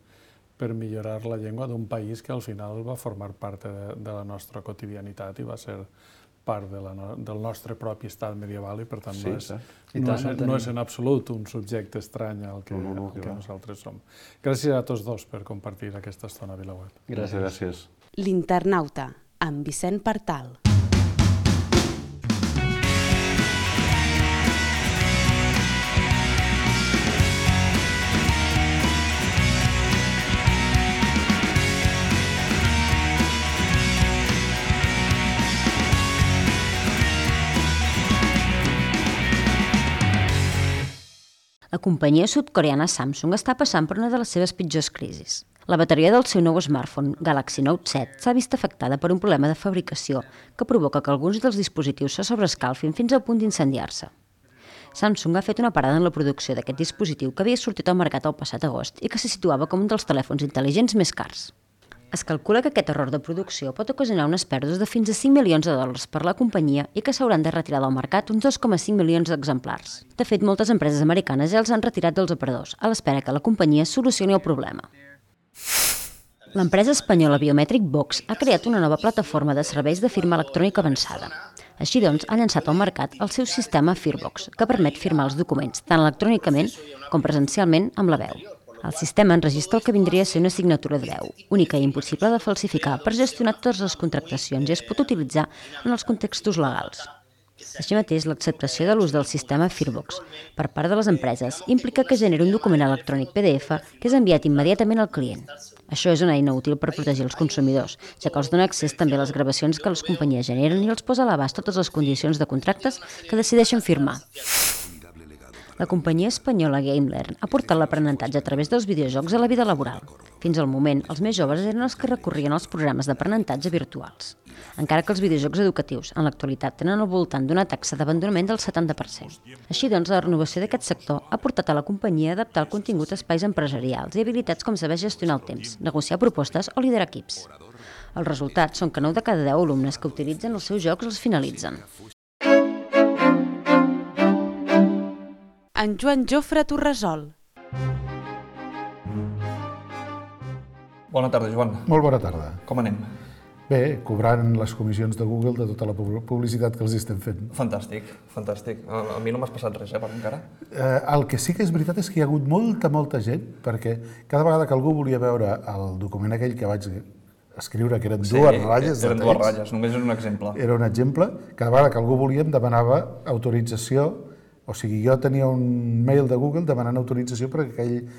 per millorar la llengua d'un país que al final va formar part de, de la nostra quotidianitat i va ser part de la, del nostre propi estat medieval i per tant Sí, no, és, cert. no, és, no és en absolut un subjecte estrany al que, No, no, no, al que que va. nosaltres som. Gràcies a tots dos per compartir aquesta estona a VilaWeb. Gràcies. Gràcies. L'Internauta, amb Vicent Partal. La companyia sud-coreana Samsung està passant per una de les seves pitjors crisis. La bateria del seu nou smartphone, Galaxy Note set, s'ha vist afectada per un problema de fabricació que provoca que alguns dels dispositius se sobrescalfin fins al punt d'incendiar-se. Samsung ha fet una parada en la producció d'aquest dispositiu que havia sortit al mercat el passat agost i que se situava com un dels telèfons intel·ligents més cars. Es calcula que aquest error de producció pot ocasionar unes pèrdues de fins a cinc milions de dòlars per a la companyia i que s'hauran de retirar del mercat uns dos coma cinc milions d'exemplars. De fet, moltes empreses americanes ja els han retirat dels aparadors, a l'espera que la companyia solucioni el problema. L'empresa espanyola Biometric Box ha creat una nova plataforma de serveis de firma electrònica avançada. Així doncs, ha llançat al mercat el seu sistema Firbox, que permet firmar els documents tant electrònicament com presencialment amb la veu. El sistema enregistra el que vindria a ser una signatura de veu, única i impossible de falsificar per gestionar totes les contractacions i es pot utilitzar en els contextos legals. Així mateix, l'acceptació de l'ús del sistema Firbox per part de les empreses implica que generi un document electrònic P D F que és enviat immediatament al client. Això és una eina útil per protegir els consumidors, ja que els dona accés també a les gravacions que les companyies generen i els posa a l'abast totes les condicions de contractes que decideixen firmar. La companyia espanyola GameLearn ha portat l'aprenentatge a través dels videojocs a la vida laboral. Fins al moment, els més joves eren els que recorrien als programes d'aprenentatge virtuals. Encara que els videojocs educatius, en l'actualitat, tenen al voltant d'una taxa d'abandonament del setanta per cent. Així doncs, la renovació d'aquest sector ha portat a la companyia a adaptar el contingut a espais empresarials i habilitats com saber gestionar el temps, negociar propostes o liderar equips. Els resultats són que nou de cada deu alumnes que utilitzen els seus jocs els finalitzen. En Joan Jofre Torresol. Bona tarda, Joan. Molt bona tarda. Com anem? Bé, cobrant les comissions de Google de tota la publicitat que els estem fent. Fantàstic, fantàstic. A, a mi no m'has passat res, eh, per encara. Eh, el que sí que és veritat és que hi ha hagut molta, molta gent, perquè cada vegada que algú volia veure el document aquell que vaig escriure, que eren Sí, dues ratlles de eren dues text, ratlles, només és un exemple. era un exemple, cada vegada que algú volia em demanava autorització, o sigui, jo tenia un mail de Google demanant autorització perquè aquell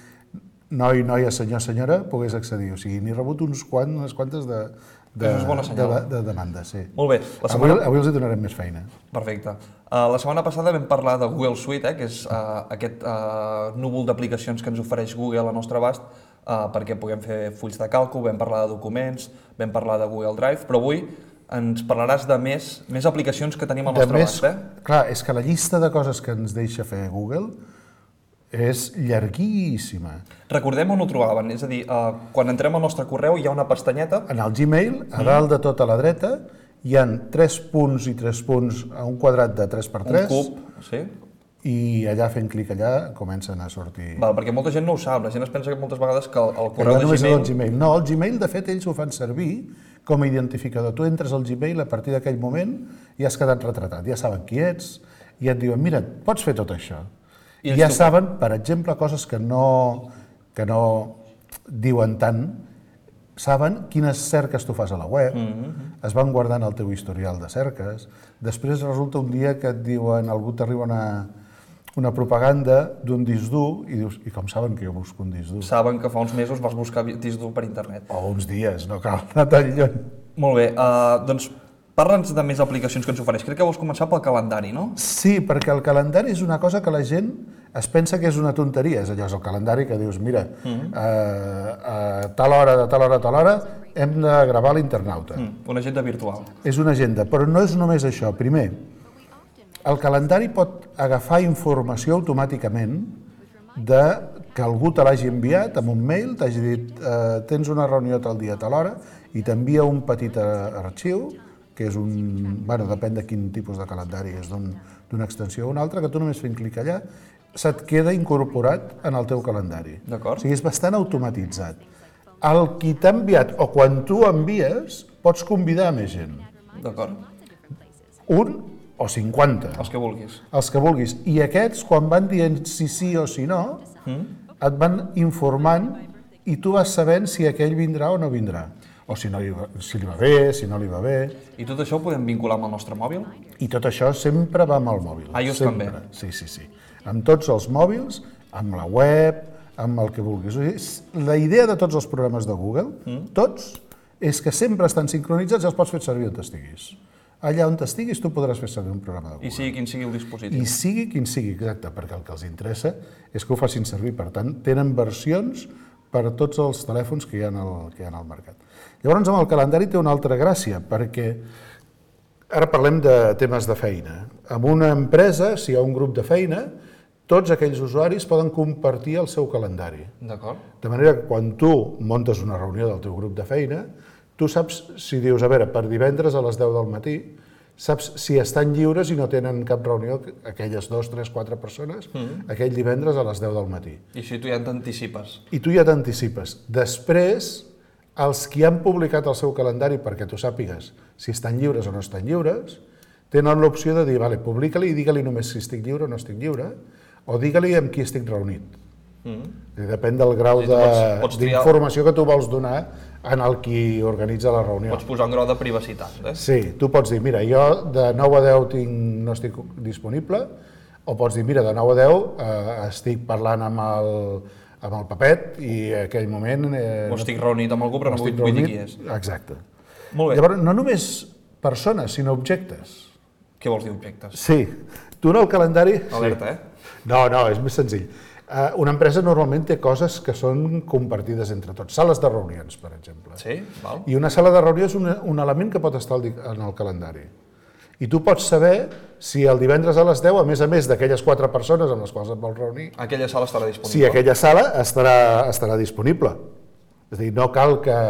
noi, noia, senyor, senyora pogués accedir. O sigui, n'he rebut uns quants, unes quantes de, de, Això és bona de, senyal. de, de demandes. Sí. Molt bé. La Avui, setmana... avui els hi donarem més feina. Perfecte. Uh, la setmana passada vam parlar de Google Suite, eh, que és uh, aquest uh, núvol d'aplicacions que ens ofereix Google al nostre abast uh, perquè puguem fer fulls de càlcul, vam parlar de documents, vam parlar de Google Drive, però avui ens parlaràs de més, més aplicacions que tenim al De nostre més, abast, eh? clar, és que la llista de coses que ens deixa fer Google és llarguíssima. Recordem on ho trobaven, és a dir, uh, quan entrem al nostre correu hi ha una pestanyeta. En el Gmail, a dalt de tot a la dreta, hi ha tres punts i tres punts a un quadrat de tres per tres. Un cub, sí. I allà, fent clic allà, comencen a sortir... Val, perquè molta gent no ho sap, la gent es pensa que moltes vegades que el, el Que correu no de només és Gmail... el Gmail. No, el Gmail, de fet, ells ho fan servir com a identificador. Tu entres al Gmail, a partir d'aquell moment ja has quedat retratat, ja saben qui ets, i et diuen, mira, pots fer tot això. I ja saben, per exemple, coses que no, que no diuen tant, saben quines cerques tu fas a la web, mm-hmm. es van guardant el teu historial de cerques, després resulta un dia que et diuen, algú t'arriba una, una propaganda d'un disc dur i dius, i com saben que jo busco un disc dur? Saben que fa uns mesos vas buscar disc dur per internet. O uns dies, no cal anar tan lluny. Molt bé, uh, doncs parla'ns de més aplicacions que ens ofereix. Crec que vols començar pel calendari, no? Sí, perquè el calendari és una cosa que la gent es pensa que és una tonteria. És allò, és el calendari que dius, mira, mm-hmm. a, a tal hora, de tal hora a tal hora, hem de gravar l'internauta. Mm, una agenda virtual. És una agenda, però no és només això. Primer, el calendari pot agafar informació automàticament de que algú te l'hagi enviat amb un mail, t'hagi dit, eh, tens una reunió tal dia, tal hora, i t'envia un petit arxiu, que és un... bueno, depèn de quin tipus de calendari és, d'una extensió o una altra, que tu només fent clic allà, se't queda incorporat en el teu calendari. D'acord. O sigui, és bastant automatitzat. El qui t'ha enviat, o quan tu envies, pots convidar més gent. D'acord. Un o cinquanta. Els que vulguis. Els que vulguis. I aquests, quan van dient si sí o si no, mm. et van informant i tu vas sabent si aquell vindrà o no vindrà. O si, no li va, si li va bé, si no li va bé. I tot això ho podem vincular amb el nostre mòbil? I tot això sempre va amb el mòbil. iOS sempre. també? Sí, sí, sí. Amb tots els mòbils, amb la web, amb el que vulguis. O sigui, la idea de tots els programes de Google, mm. tots, és que sempre estan sincronitzats i els pots fer servir on estiguis. Allà on estiguis tu podràs fer servir un programa de Google. I sigui quin sigui el dispositiu. I sigui quin sigui, exacte, perquè el que els interessa és que ho facin servir. Per tant, tenen versions per a tots els telèfons que hi ha al, que hi ha al mercat. Llavors, amb el calendari té una altra gràcia, perquè ara parlem de temes de feina. En una empresa, si hi ha un grup de feina, tots aquells usuaris poden compartir el seu calendari. D'acord. De manera que quan tu muntes una reunió del teu grup de feina, tu saps, si dius, a veure, per divendres a les deu del matí, saps si estan lliures i no tenen cap reunió, aquelles dos, tres, quatre persones, mm. aquell divendres a les deu del matí. I així tu ja t'anticipes. I tu ja t'anticipes. Després, els qui han publicat el seu calendari perquè tu sàpigues si estan lliures o no estan lliures, tenen l'opció de dir, vale, publica-li i digue-li només si estic lliure o no estic lliure, o digue-li amb qui estic reunit. Mm. Depèn del grau d'informació que tu vols donar en el qui organitza la reunió. Pots posar un grau de privacitat, eh? Sí, tu pots dir, mira, jo de nou a deu tinc, no estic disponible, o pots dir, mira, de nou a deu eh, estic parlant amb el, amb el Pepet i en aquell moment... Eh, o estic reunit amb algú però no vull dir qui és. Exacte. Molt bé. Llavors, no només persones, sinó objectes. Què vols dir objectes? Sí. Tu en el calendari... Alerta, sí. eh? No, no, és més senzill. Uh, una empresa normalment té coses que són compartides entre tots. Sales de reunions, per exemple. Sí, val. I una sala de reunió és un, un element que pot estar en el calendari. I tu pots saber si el divendres a les deu, a més a més d'aquelles quatre persones amb les quals et vols reunir... Aquella sala estarà disponible. Si aquella sala estarà, estarà disponible. És a dir, no cal, que,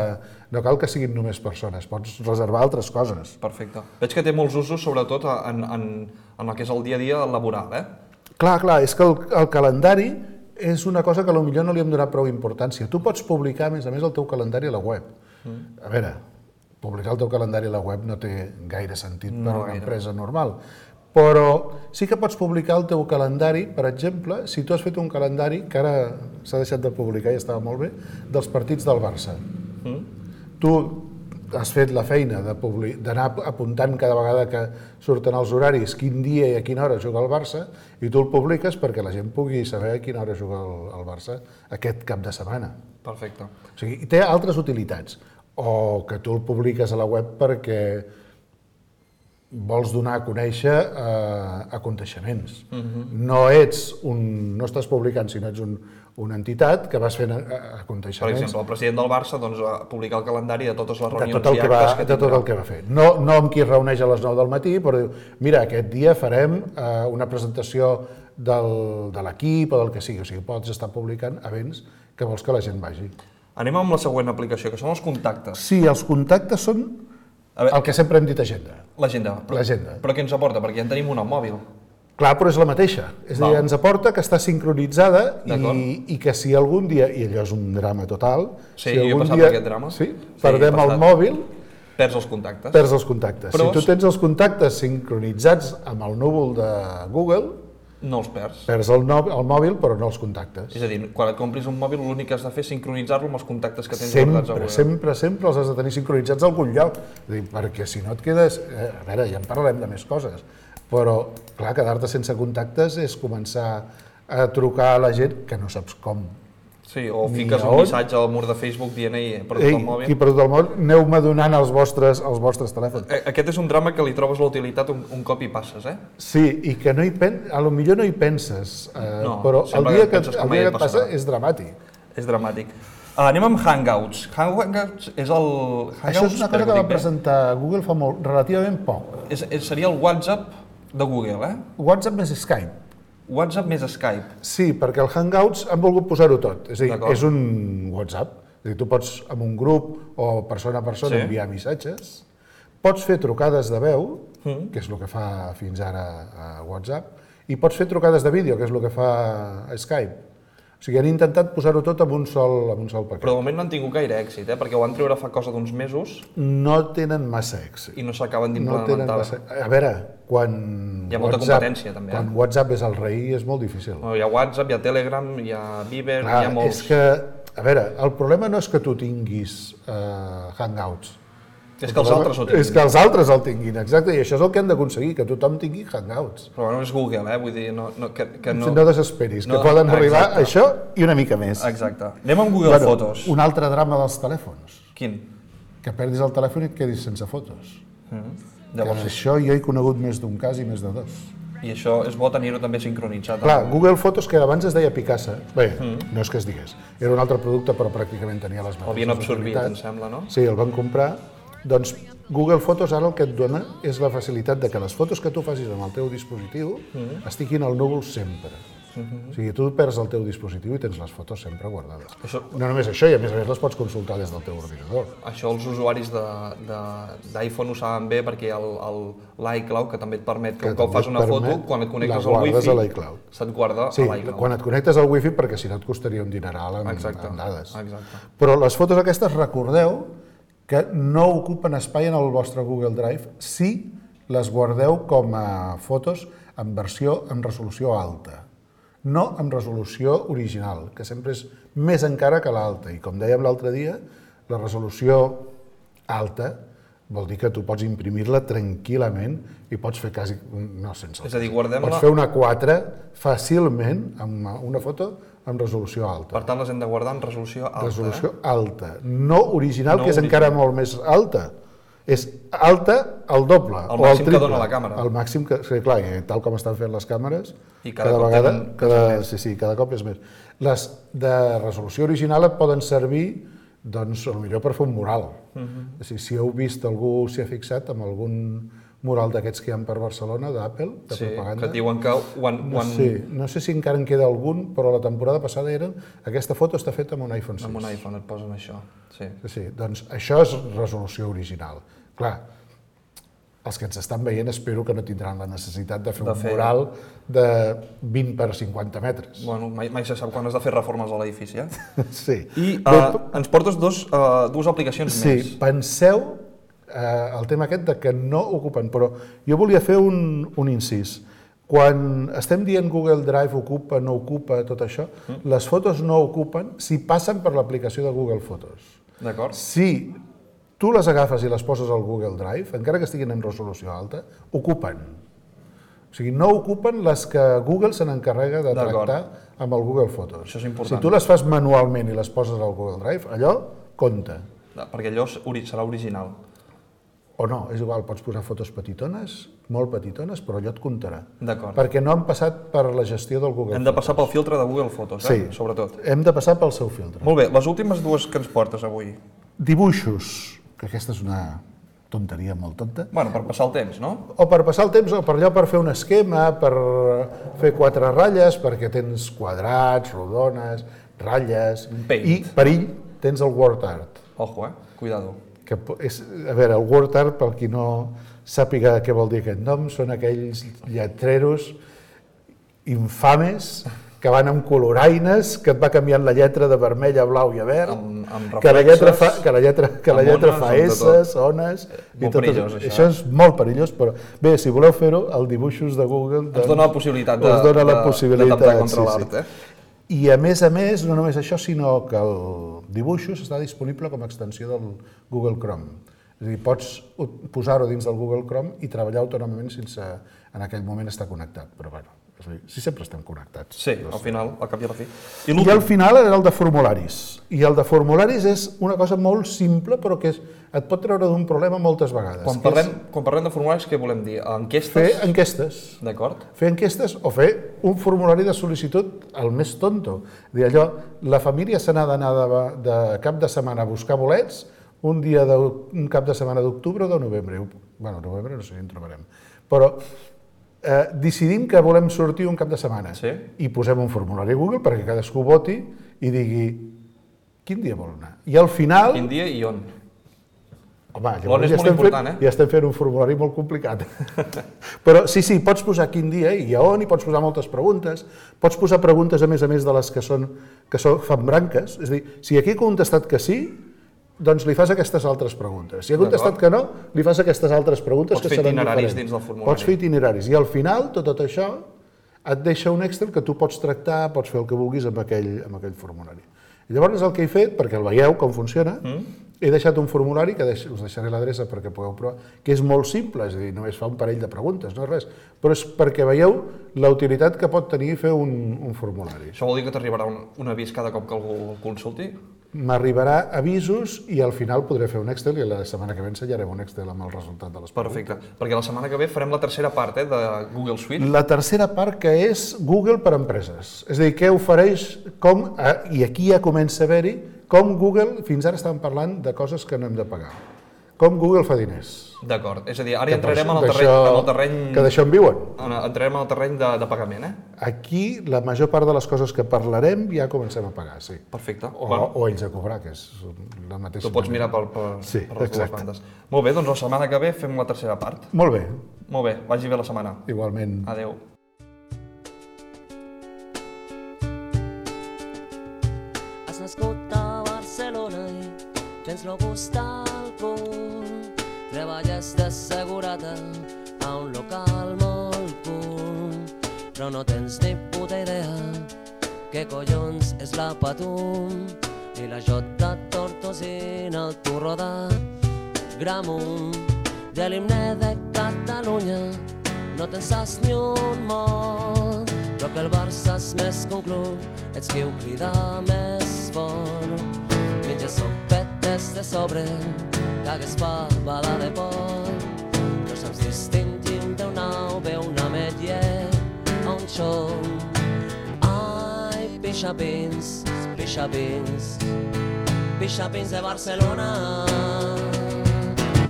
no cal que siguin només persones, pots reservar altres coses. Perfecte. Veig que té molts usos, sobretot en, en, en el que és el dia a dia laboral, eh? Clar, clar, és que el, el calendari és una cosa que potser no li hem donat prou importància. Tu pots publicar, a més a més, el teu calendari a la web. Mm. A veure, publicar el teu calendari a la web no té gaire sentit no per a una gaire. empresa normal, però sí que pots publicar el teu calendari, per exemple, si tu has fet un calendari, que ara s'ha deixat de publicar i estava molt bé, dels partits del Barça. Mm. Tu has fet la feina d'anar apuntant cada vegada que surten els horaris quin dia i a quina hora juga el Barça i tu el publiques perquè la gent pugui saber a quina hora juga el, el Barça aquest cap de setmana. Perfecte. O sigui, té altres utilitats. O que tu el publiques a la web perquè vols donar a conèixer eh, aconteixements. Mm-hmm. No ets un... no estàs publicant, sinó ets un, una entitat que vas fent aconteixements. Per exemple, el president del Barça doncs, va publicar el calendari de totes les reunions de tot el que va, que de tot el que va fer. No, no amb qui es reuneix a les nou del matí, però diu, mira, aquest dia farem eh, una presentació del, de l'equip o del que sigui. O sigui, pots estar publicant events que vols que la gent vagi. Anem amb la següent aplicació, que són els contactes. Sí, els contactes són veure, el que sempre hem dit agenda. L'agenda. Però, però què ens aporta? Perquè ja en tenim una al mòbil. Clar, però és la mateixa. És a dir, ens aporta que està sincronitzada i, i que si algun dia, i allò és un drama total, sí, si algun jo he passat dia, per aquest drama. Sí, perdem sí, el mòbil, Perds els contactes. Perds els contactes. Però... Si tu tens els contactes sincronitzats amb el núvol de Google, no els perds. Perds el, no, el mòbil, però no els contactes. És a dir, quan et compris un mòbil, l'únic que has de fer és sincronitzar-lo amb els contactes que tens sempre, guardats a Google. Sempre, sempre els has de tenir sincronitzats a algun lloc. És dir, perquè si no et quedes... Eh, a veure, ja en parlarem de més coses, però, clar, quedar-te sense contactes és començar a trucar a la gent que no saps com. Sí, o fiques un missatge al mur de Facebook dient ei, he perdut el mòbil. Ei, he perdut el mòbil, aneu-me donant els vostres, els vostres telèfons. Aquest és un drama que li trobes la utilitat un, un cop hi passes, eh? Sí, i que no hi pen... a lo millor no hi penses, eh, no, però el dia que, que, el dia que et passa és dramàtic. És dramàtic. Uh, anem amb Hangouts. Hangouts és el... Hangouts, Això és una cosa que va presentar Google fa molt, relativament poc. És, és, seria el WhatsApp de Google, eh? WhatsApp més Skype. WhatsApp més Skype. Sí, perquè el Hangouts han volgut posar-ho tot. És a dir, és un WhatsApp. És a dir, tu pots, amb un grup o persona a persona, sí. enviar missatges. Pots fer trucades de veu, mm. que és el que fa fins ara a WhatsApp, i pots fer trucades de vídeo, que és el que fa a Skype. O sigui, han intentat posar-ho tot en un sol, en un sol paquet. Però de moment no han tingut gaire èxit, eh? Perquè ho van treure fa cosa d'uns mesos. No tenen massa èxit. I no s'acaben d'implementar. No massa... A veure, quan hi ha molta WhatsApp, competència, també. Quan eh? WhatsApp és el rei, és molt difícil. No, hi ha WhatsApp, hi ha Telegram, hi ha Viber, Clar, hi ha molts... És que, a veure, el problema no és que tu tinguis uh, Hangouts. És que els altres ho tinguin. És que els altres el tinguin, exacte, i això és el que han d'aconseguir, que tothom tingui Hangouts. Però no és Google, eh? Vull dir, no, no, que, que no... No desesperis, no, que poden arribar exacte. a això i una mica més. Exacte. Anem amb Google bueno, Fotos. Un altre drama dels telèfons. Quin? Que perdis el telèfon i et quedis sense fotos. Mm. Llavors... Que això jo he conegut més d'un cas i més de dos. I això és bo tenir-ho també sincronitzat. Clar, amb... Google Fotos, que abans es deia Picasa, bé, mm. no és que es digués, era un altre producte però pràcticament tenia les mateixes. L'havien absorbit, em sembla, no? Sí, el van comprar. Doncs Google Fotos ara el que et dona és la facilitat de que les fotos que tu facis amb el teu dispositiu mm. estiguin al núvol sempre. Mm-hmm. O sigui, tu perds el teu dispositiu i tens les fotos sempre guardades. Això... No només això, i a més a més les pots consultar des del teu ordinador. Això els usuaris d'iPhone ho saben bé perquè l'iCloud, que també et permet que, que un cop fas una foto, quan et connectes al Wi-Fi, se't guarda sí, a l'iCloud. Quan et connectes al Wi-Fi, perquè si no et costaria un dineral en, exacte, en dades. Exacte. Però les fotos aquestes, recordeu que no ocupen espai en el vostre Google Drive si les guardeu com a fotos en versió en resolució alta, no en resolució original, que sempre és més encara que l'alta. I com dèiem l'altre dia, la resolució alta vol dir que tu pots imprimir-la tranquil·lament i pots fer quasi... no sense... És a dir, guardem-la... Pots fer una quatre fàcilment amb una foto en resolució alta. Per tant, les hem de guardar en resolució alta. Resolució eh? alta, no original, no que és original. encara molt més alta. És alta al doble, el o al màxim triple. que dona la càmera. El màxim que, sí, clar, tal com estan fent les càmeres, I cada, cada cop vegada, tenen... cada, sí, sí, cada cop és més. Les de resolució original et poden servir, doncs, potser per fer un mural. Uh-huh. O sigui, si heu vist, algú s'hi ha fixat amb algun mural d'aquests que hi ha per Barcelona, d'Apple, de sí, propaganda. Que diuen que... One, no, one... sé, no sé si encara en queda algun, però la temporada passada eren... Aquesta foto està feta amb un iPhone sis. Amb un iPhone et posen això, sí. Sí, doncs això és resolució original. Clar, els que ens estan veient espero que no tindran la necessitat de fer de un fer... mural de vint per cinquanta metres. Bueno, mai, mai se sap quan has de fer reformes a l'edifici, eh? Sí. I uh, ens portes dos, uh, dues aplicacions sí, més. Sí, penseu eh, el tema aquest de que no ocupen, però jo volia fer un, un incís. Quan estem dient Google Drive ocupa, no ocupa, tot això, mm. les fotos no ocupen si passen per l'aplicació de Google Fotos. D'acord. Si tu les agafes i les poses al Google Drive, encara que estiguin en resolució alta, ocupen. O sigui, no ocupen les que Google se n'encarrega de tractar amb el Google Fotos. Això és important. Si tu les fas manualment i les poses al Google Drive, allò compta. Perquè allò serà original. O no, és igual, pots posar fotos petitones, molt petitones, però allò et comptarà. D'acord. Perquè no han passat per la gestió del Google Fotos. Hem de passar pel filtre de Google Fotos, eh? Sí, sobretot. Hem de passar pel seu filtre. Molt bé, les últimes dues que ens portes avui. Dibuixos, que aquesta és una tonteria molt tonta. Bueno, per passar el temps, no? O per passar el temps, o per allò per fer un esquema, per fer quatre ratlles, perquè tens quadrats, rodones, ratlles... Paint. I, perill, tens el word art. Ojo, eh? Cuidado. Que és, a veure, el word art, per qui no sàpiga què vol dir aquest nom, són aquells lletreros infames que van amb coloraines, que et va canviant la lletra de vermell a blau i a verd, amb, amb que la lletra fa, que la lletra, que la lletra ones, fa amb esses, ones... Molt i tot perillós, això. això. Això és molt perillós, però bé, si voleu fer-ho, el dibuixos de Google... Ens dona la possibilitat de, us dona la de, possibilitat, de temptar contra sí, l'art, sí. eh? I a més a més, no només això, sinó que el dibuixos està disponible com a extensió del Google Chrome. És a dir, pots posar-ho dins del Google Chrome i treballar autònomament sense en aquell moment estar connectat, però bueno, és a dir, si sempre estem connectats. Sí, al final, al cap i a la fi. I, I al final era el de formularis. I el de formularis és una cosa molt simple, però que és, et pot treure d'un problema moltes vegades. Quan parlem, quan parlem de formularis, què volem dir? Enquestes? Fer enquestes. D'acord. Fer enquestes o fer un formulari de sol·licitud el més tonto. Dir allò, la família se n'ha d'anar de, de cap de setmana a buscar bolets un dia de, un cap de setmana d'octubre o de novembre. Bueno, novembre no sé si en trobarem. Però eh, decidim que volem sortir un cap de setmana sí. i posem un formulari a Google perquè cadascú voti i digui quin dia vol anar. I al final... Quin dia i on? Home, llavors ja estem, fent, eh? ja estem fent un formulari molt complicat. Però sí, sí, pots posar quin dia i a on, i pots posar moltes preguntes. Pots posar preguntes, a més a més, de les que, són, que són, fan branques. És a dir, si aquí he contestat que sí, doncs li fas aquestes altres preguntes. Si ha contestat que no, li fas aquestes altres preguntes que seran diferents. Pots fer itineraris dins del formulari. Pots fer itineraris. I al final, tot, tot això, et deixa un Excel que tu pots tractar, pots fer el que vulguis amb aquell, amb aquell formulari. I llavors el que he fet, perquè el veieu com funciona, mm. he deixat un formulari, que deix, us deixaré l'adreça perquè pugueu provar, que és molt simple, és a dir, només fa un parell de preguntes, no és res, però és perquè veieu la utilitat que pot tenir fer un, un formulari. Això vol dir que t'arribarà un, un avís cada cop que algú el consulti? M'arribarà avisos i al final podré fer un Excel i la setmana que ve ensenyarem un Excel amb el resultat de les preguntes. Perfecte, perquè la setmana que ve farem la tercera part eh, de Google Suite. La tercera part que és Google per empreses. És a dir, què ofereix, com, i aquí ja comença a haver-hi, com Google, fins ara estàvem parlant de coses que no hem de pagar. Com Google fa diners. D'acord, és a dir, ara ja entrarem en el terreny... En el terreny que d'això en viuen. Entrarem en el terreny de, de pagament, eh? Aquí la major part de les coses que parlarem ja comencem a pagar, sí. Perfecte. O, bueno. o ells a cobrar, que és la mateixa... Tu pots mirar per, per, sí, per les dues bandes. Molt bé, doncs la setmana que ve fem la tercera part. Molt bé. Molt bé, vagi bé la setmana. Igualment. Adéu. Has nascut a Barcelona i tens lo gust alcohol. Treballes d'assegurada a un local molt cool, però no tens ni puta idea què collons és la Patum i la Jota Tortosina, el turro de Gramunt. De l'himne de Catalunya no tens sas ni un mot, però que el Barça és més que un club, ets qui ho crida més fort. Menges sopetes de sobre, cagues fabada de pot, no saps distingir d'un au, ve una ametlla a un xom. Ai, pixapins, pixapins, pixapins de Barcelona.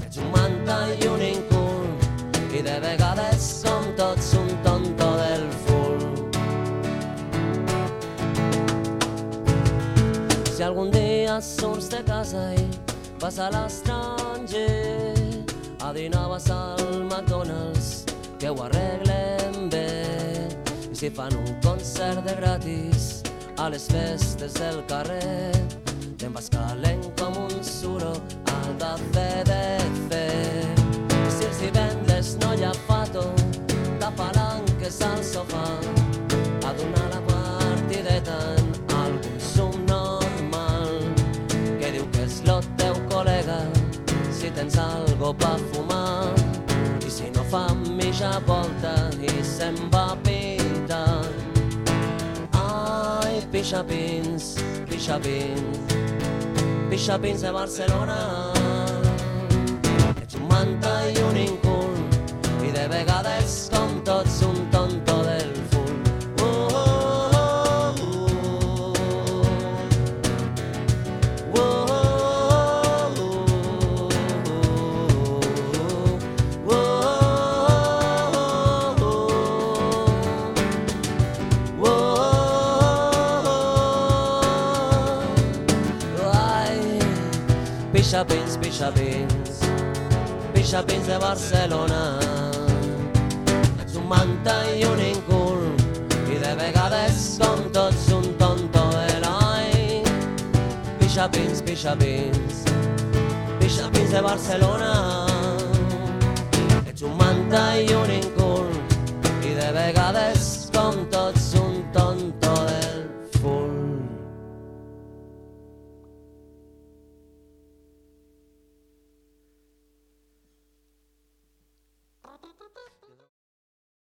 Ets un manta i un incul, i de vegades com tots un tonto del full. Si algun dia surts de casa i vas a l'estranger, a dinar vas al McDonald's, que ho arreglen bé. I si fan un concert de gratis a les festes del carrer, te'n vas calent com un suro al de C D C. I si els divendres no hi ha fato, de palanques al sofà, a donar la partideta en algun subnormal, que diu que és lo teu col·lega si tens algo pa fumar, i si no fa mitja volta i se'n va pitar. Ai, pixapins, pixapins, pixapins de Barcelona. Ets un manta i un incul, i de vegades com tots un tonto del full. Pixapins, pixapins, pixapins de Barcelona. Ets un manta i un incul, i de de vegades com tots un tonto heroi. Pixapins, pixapins, pixapins de Barcelona. Ets un manta i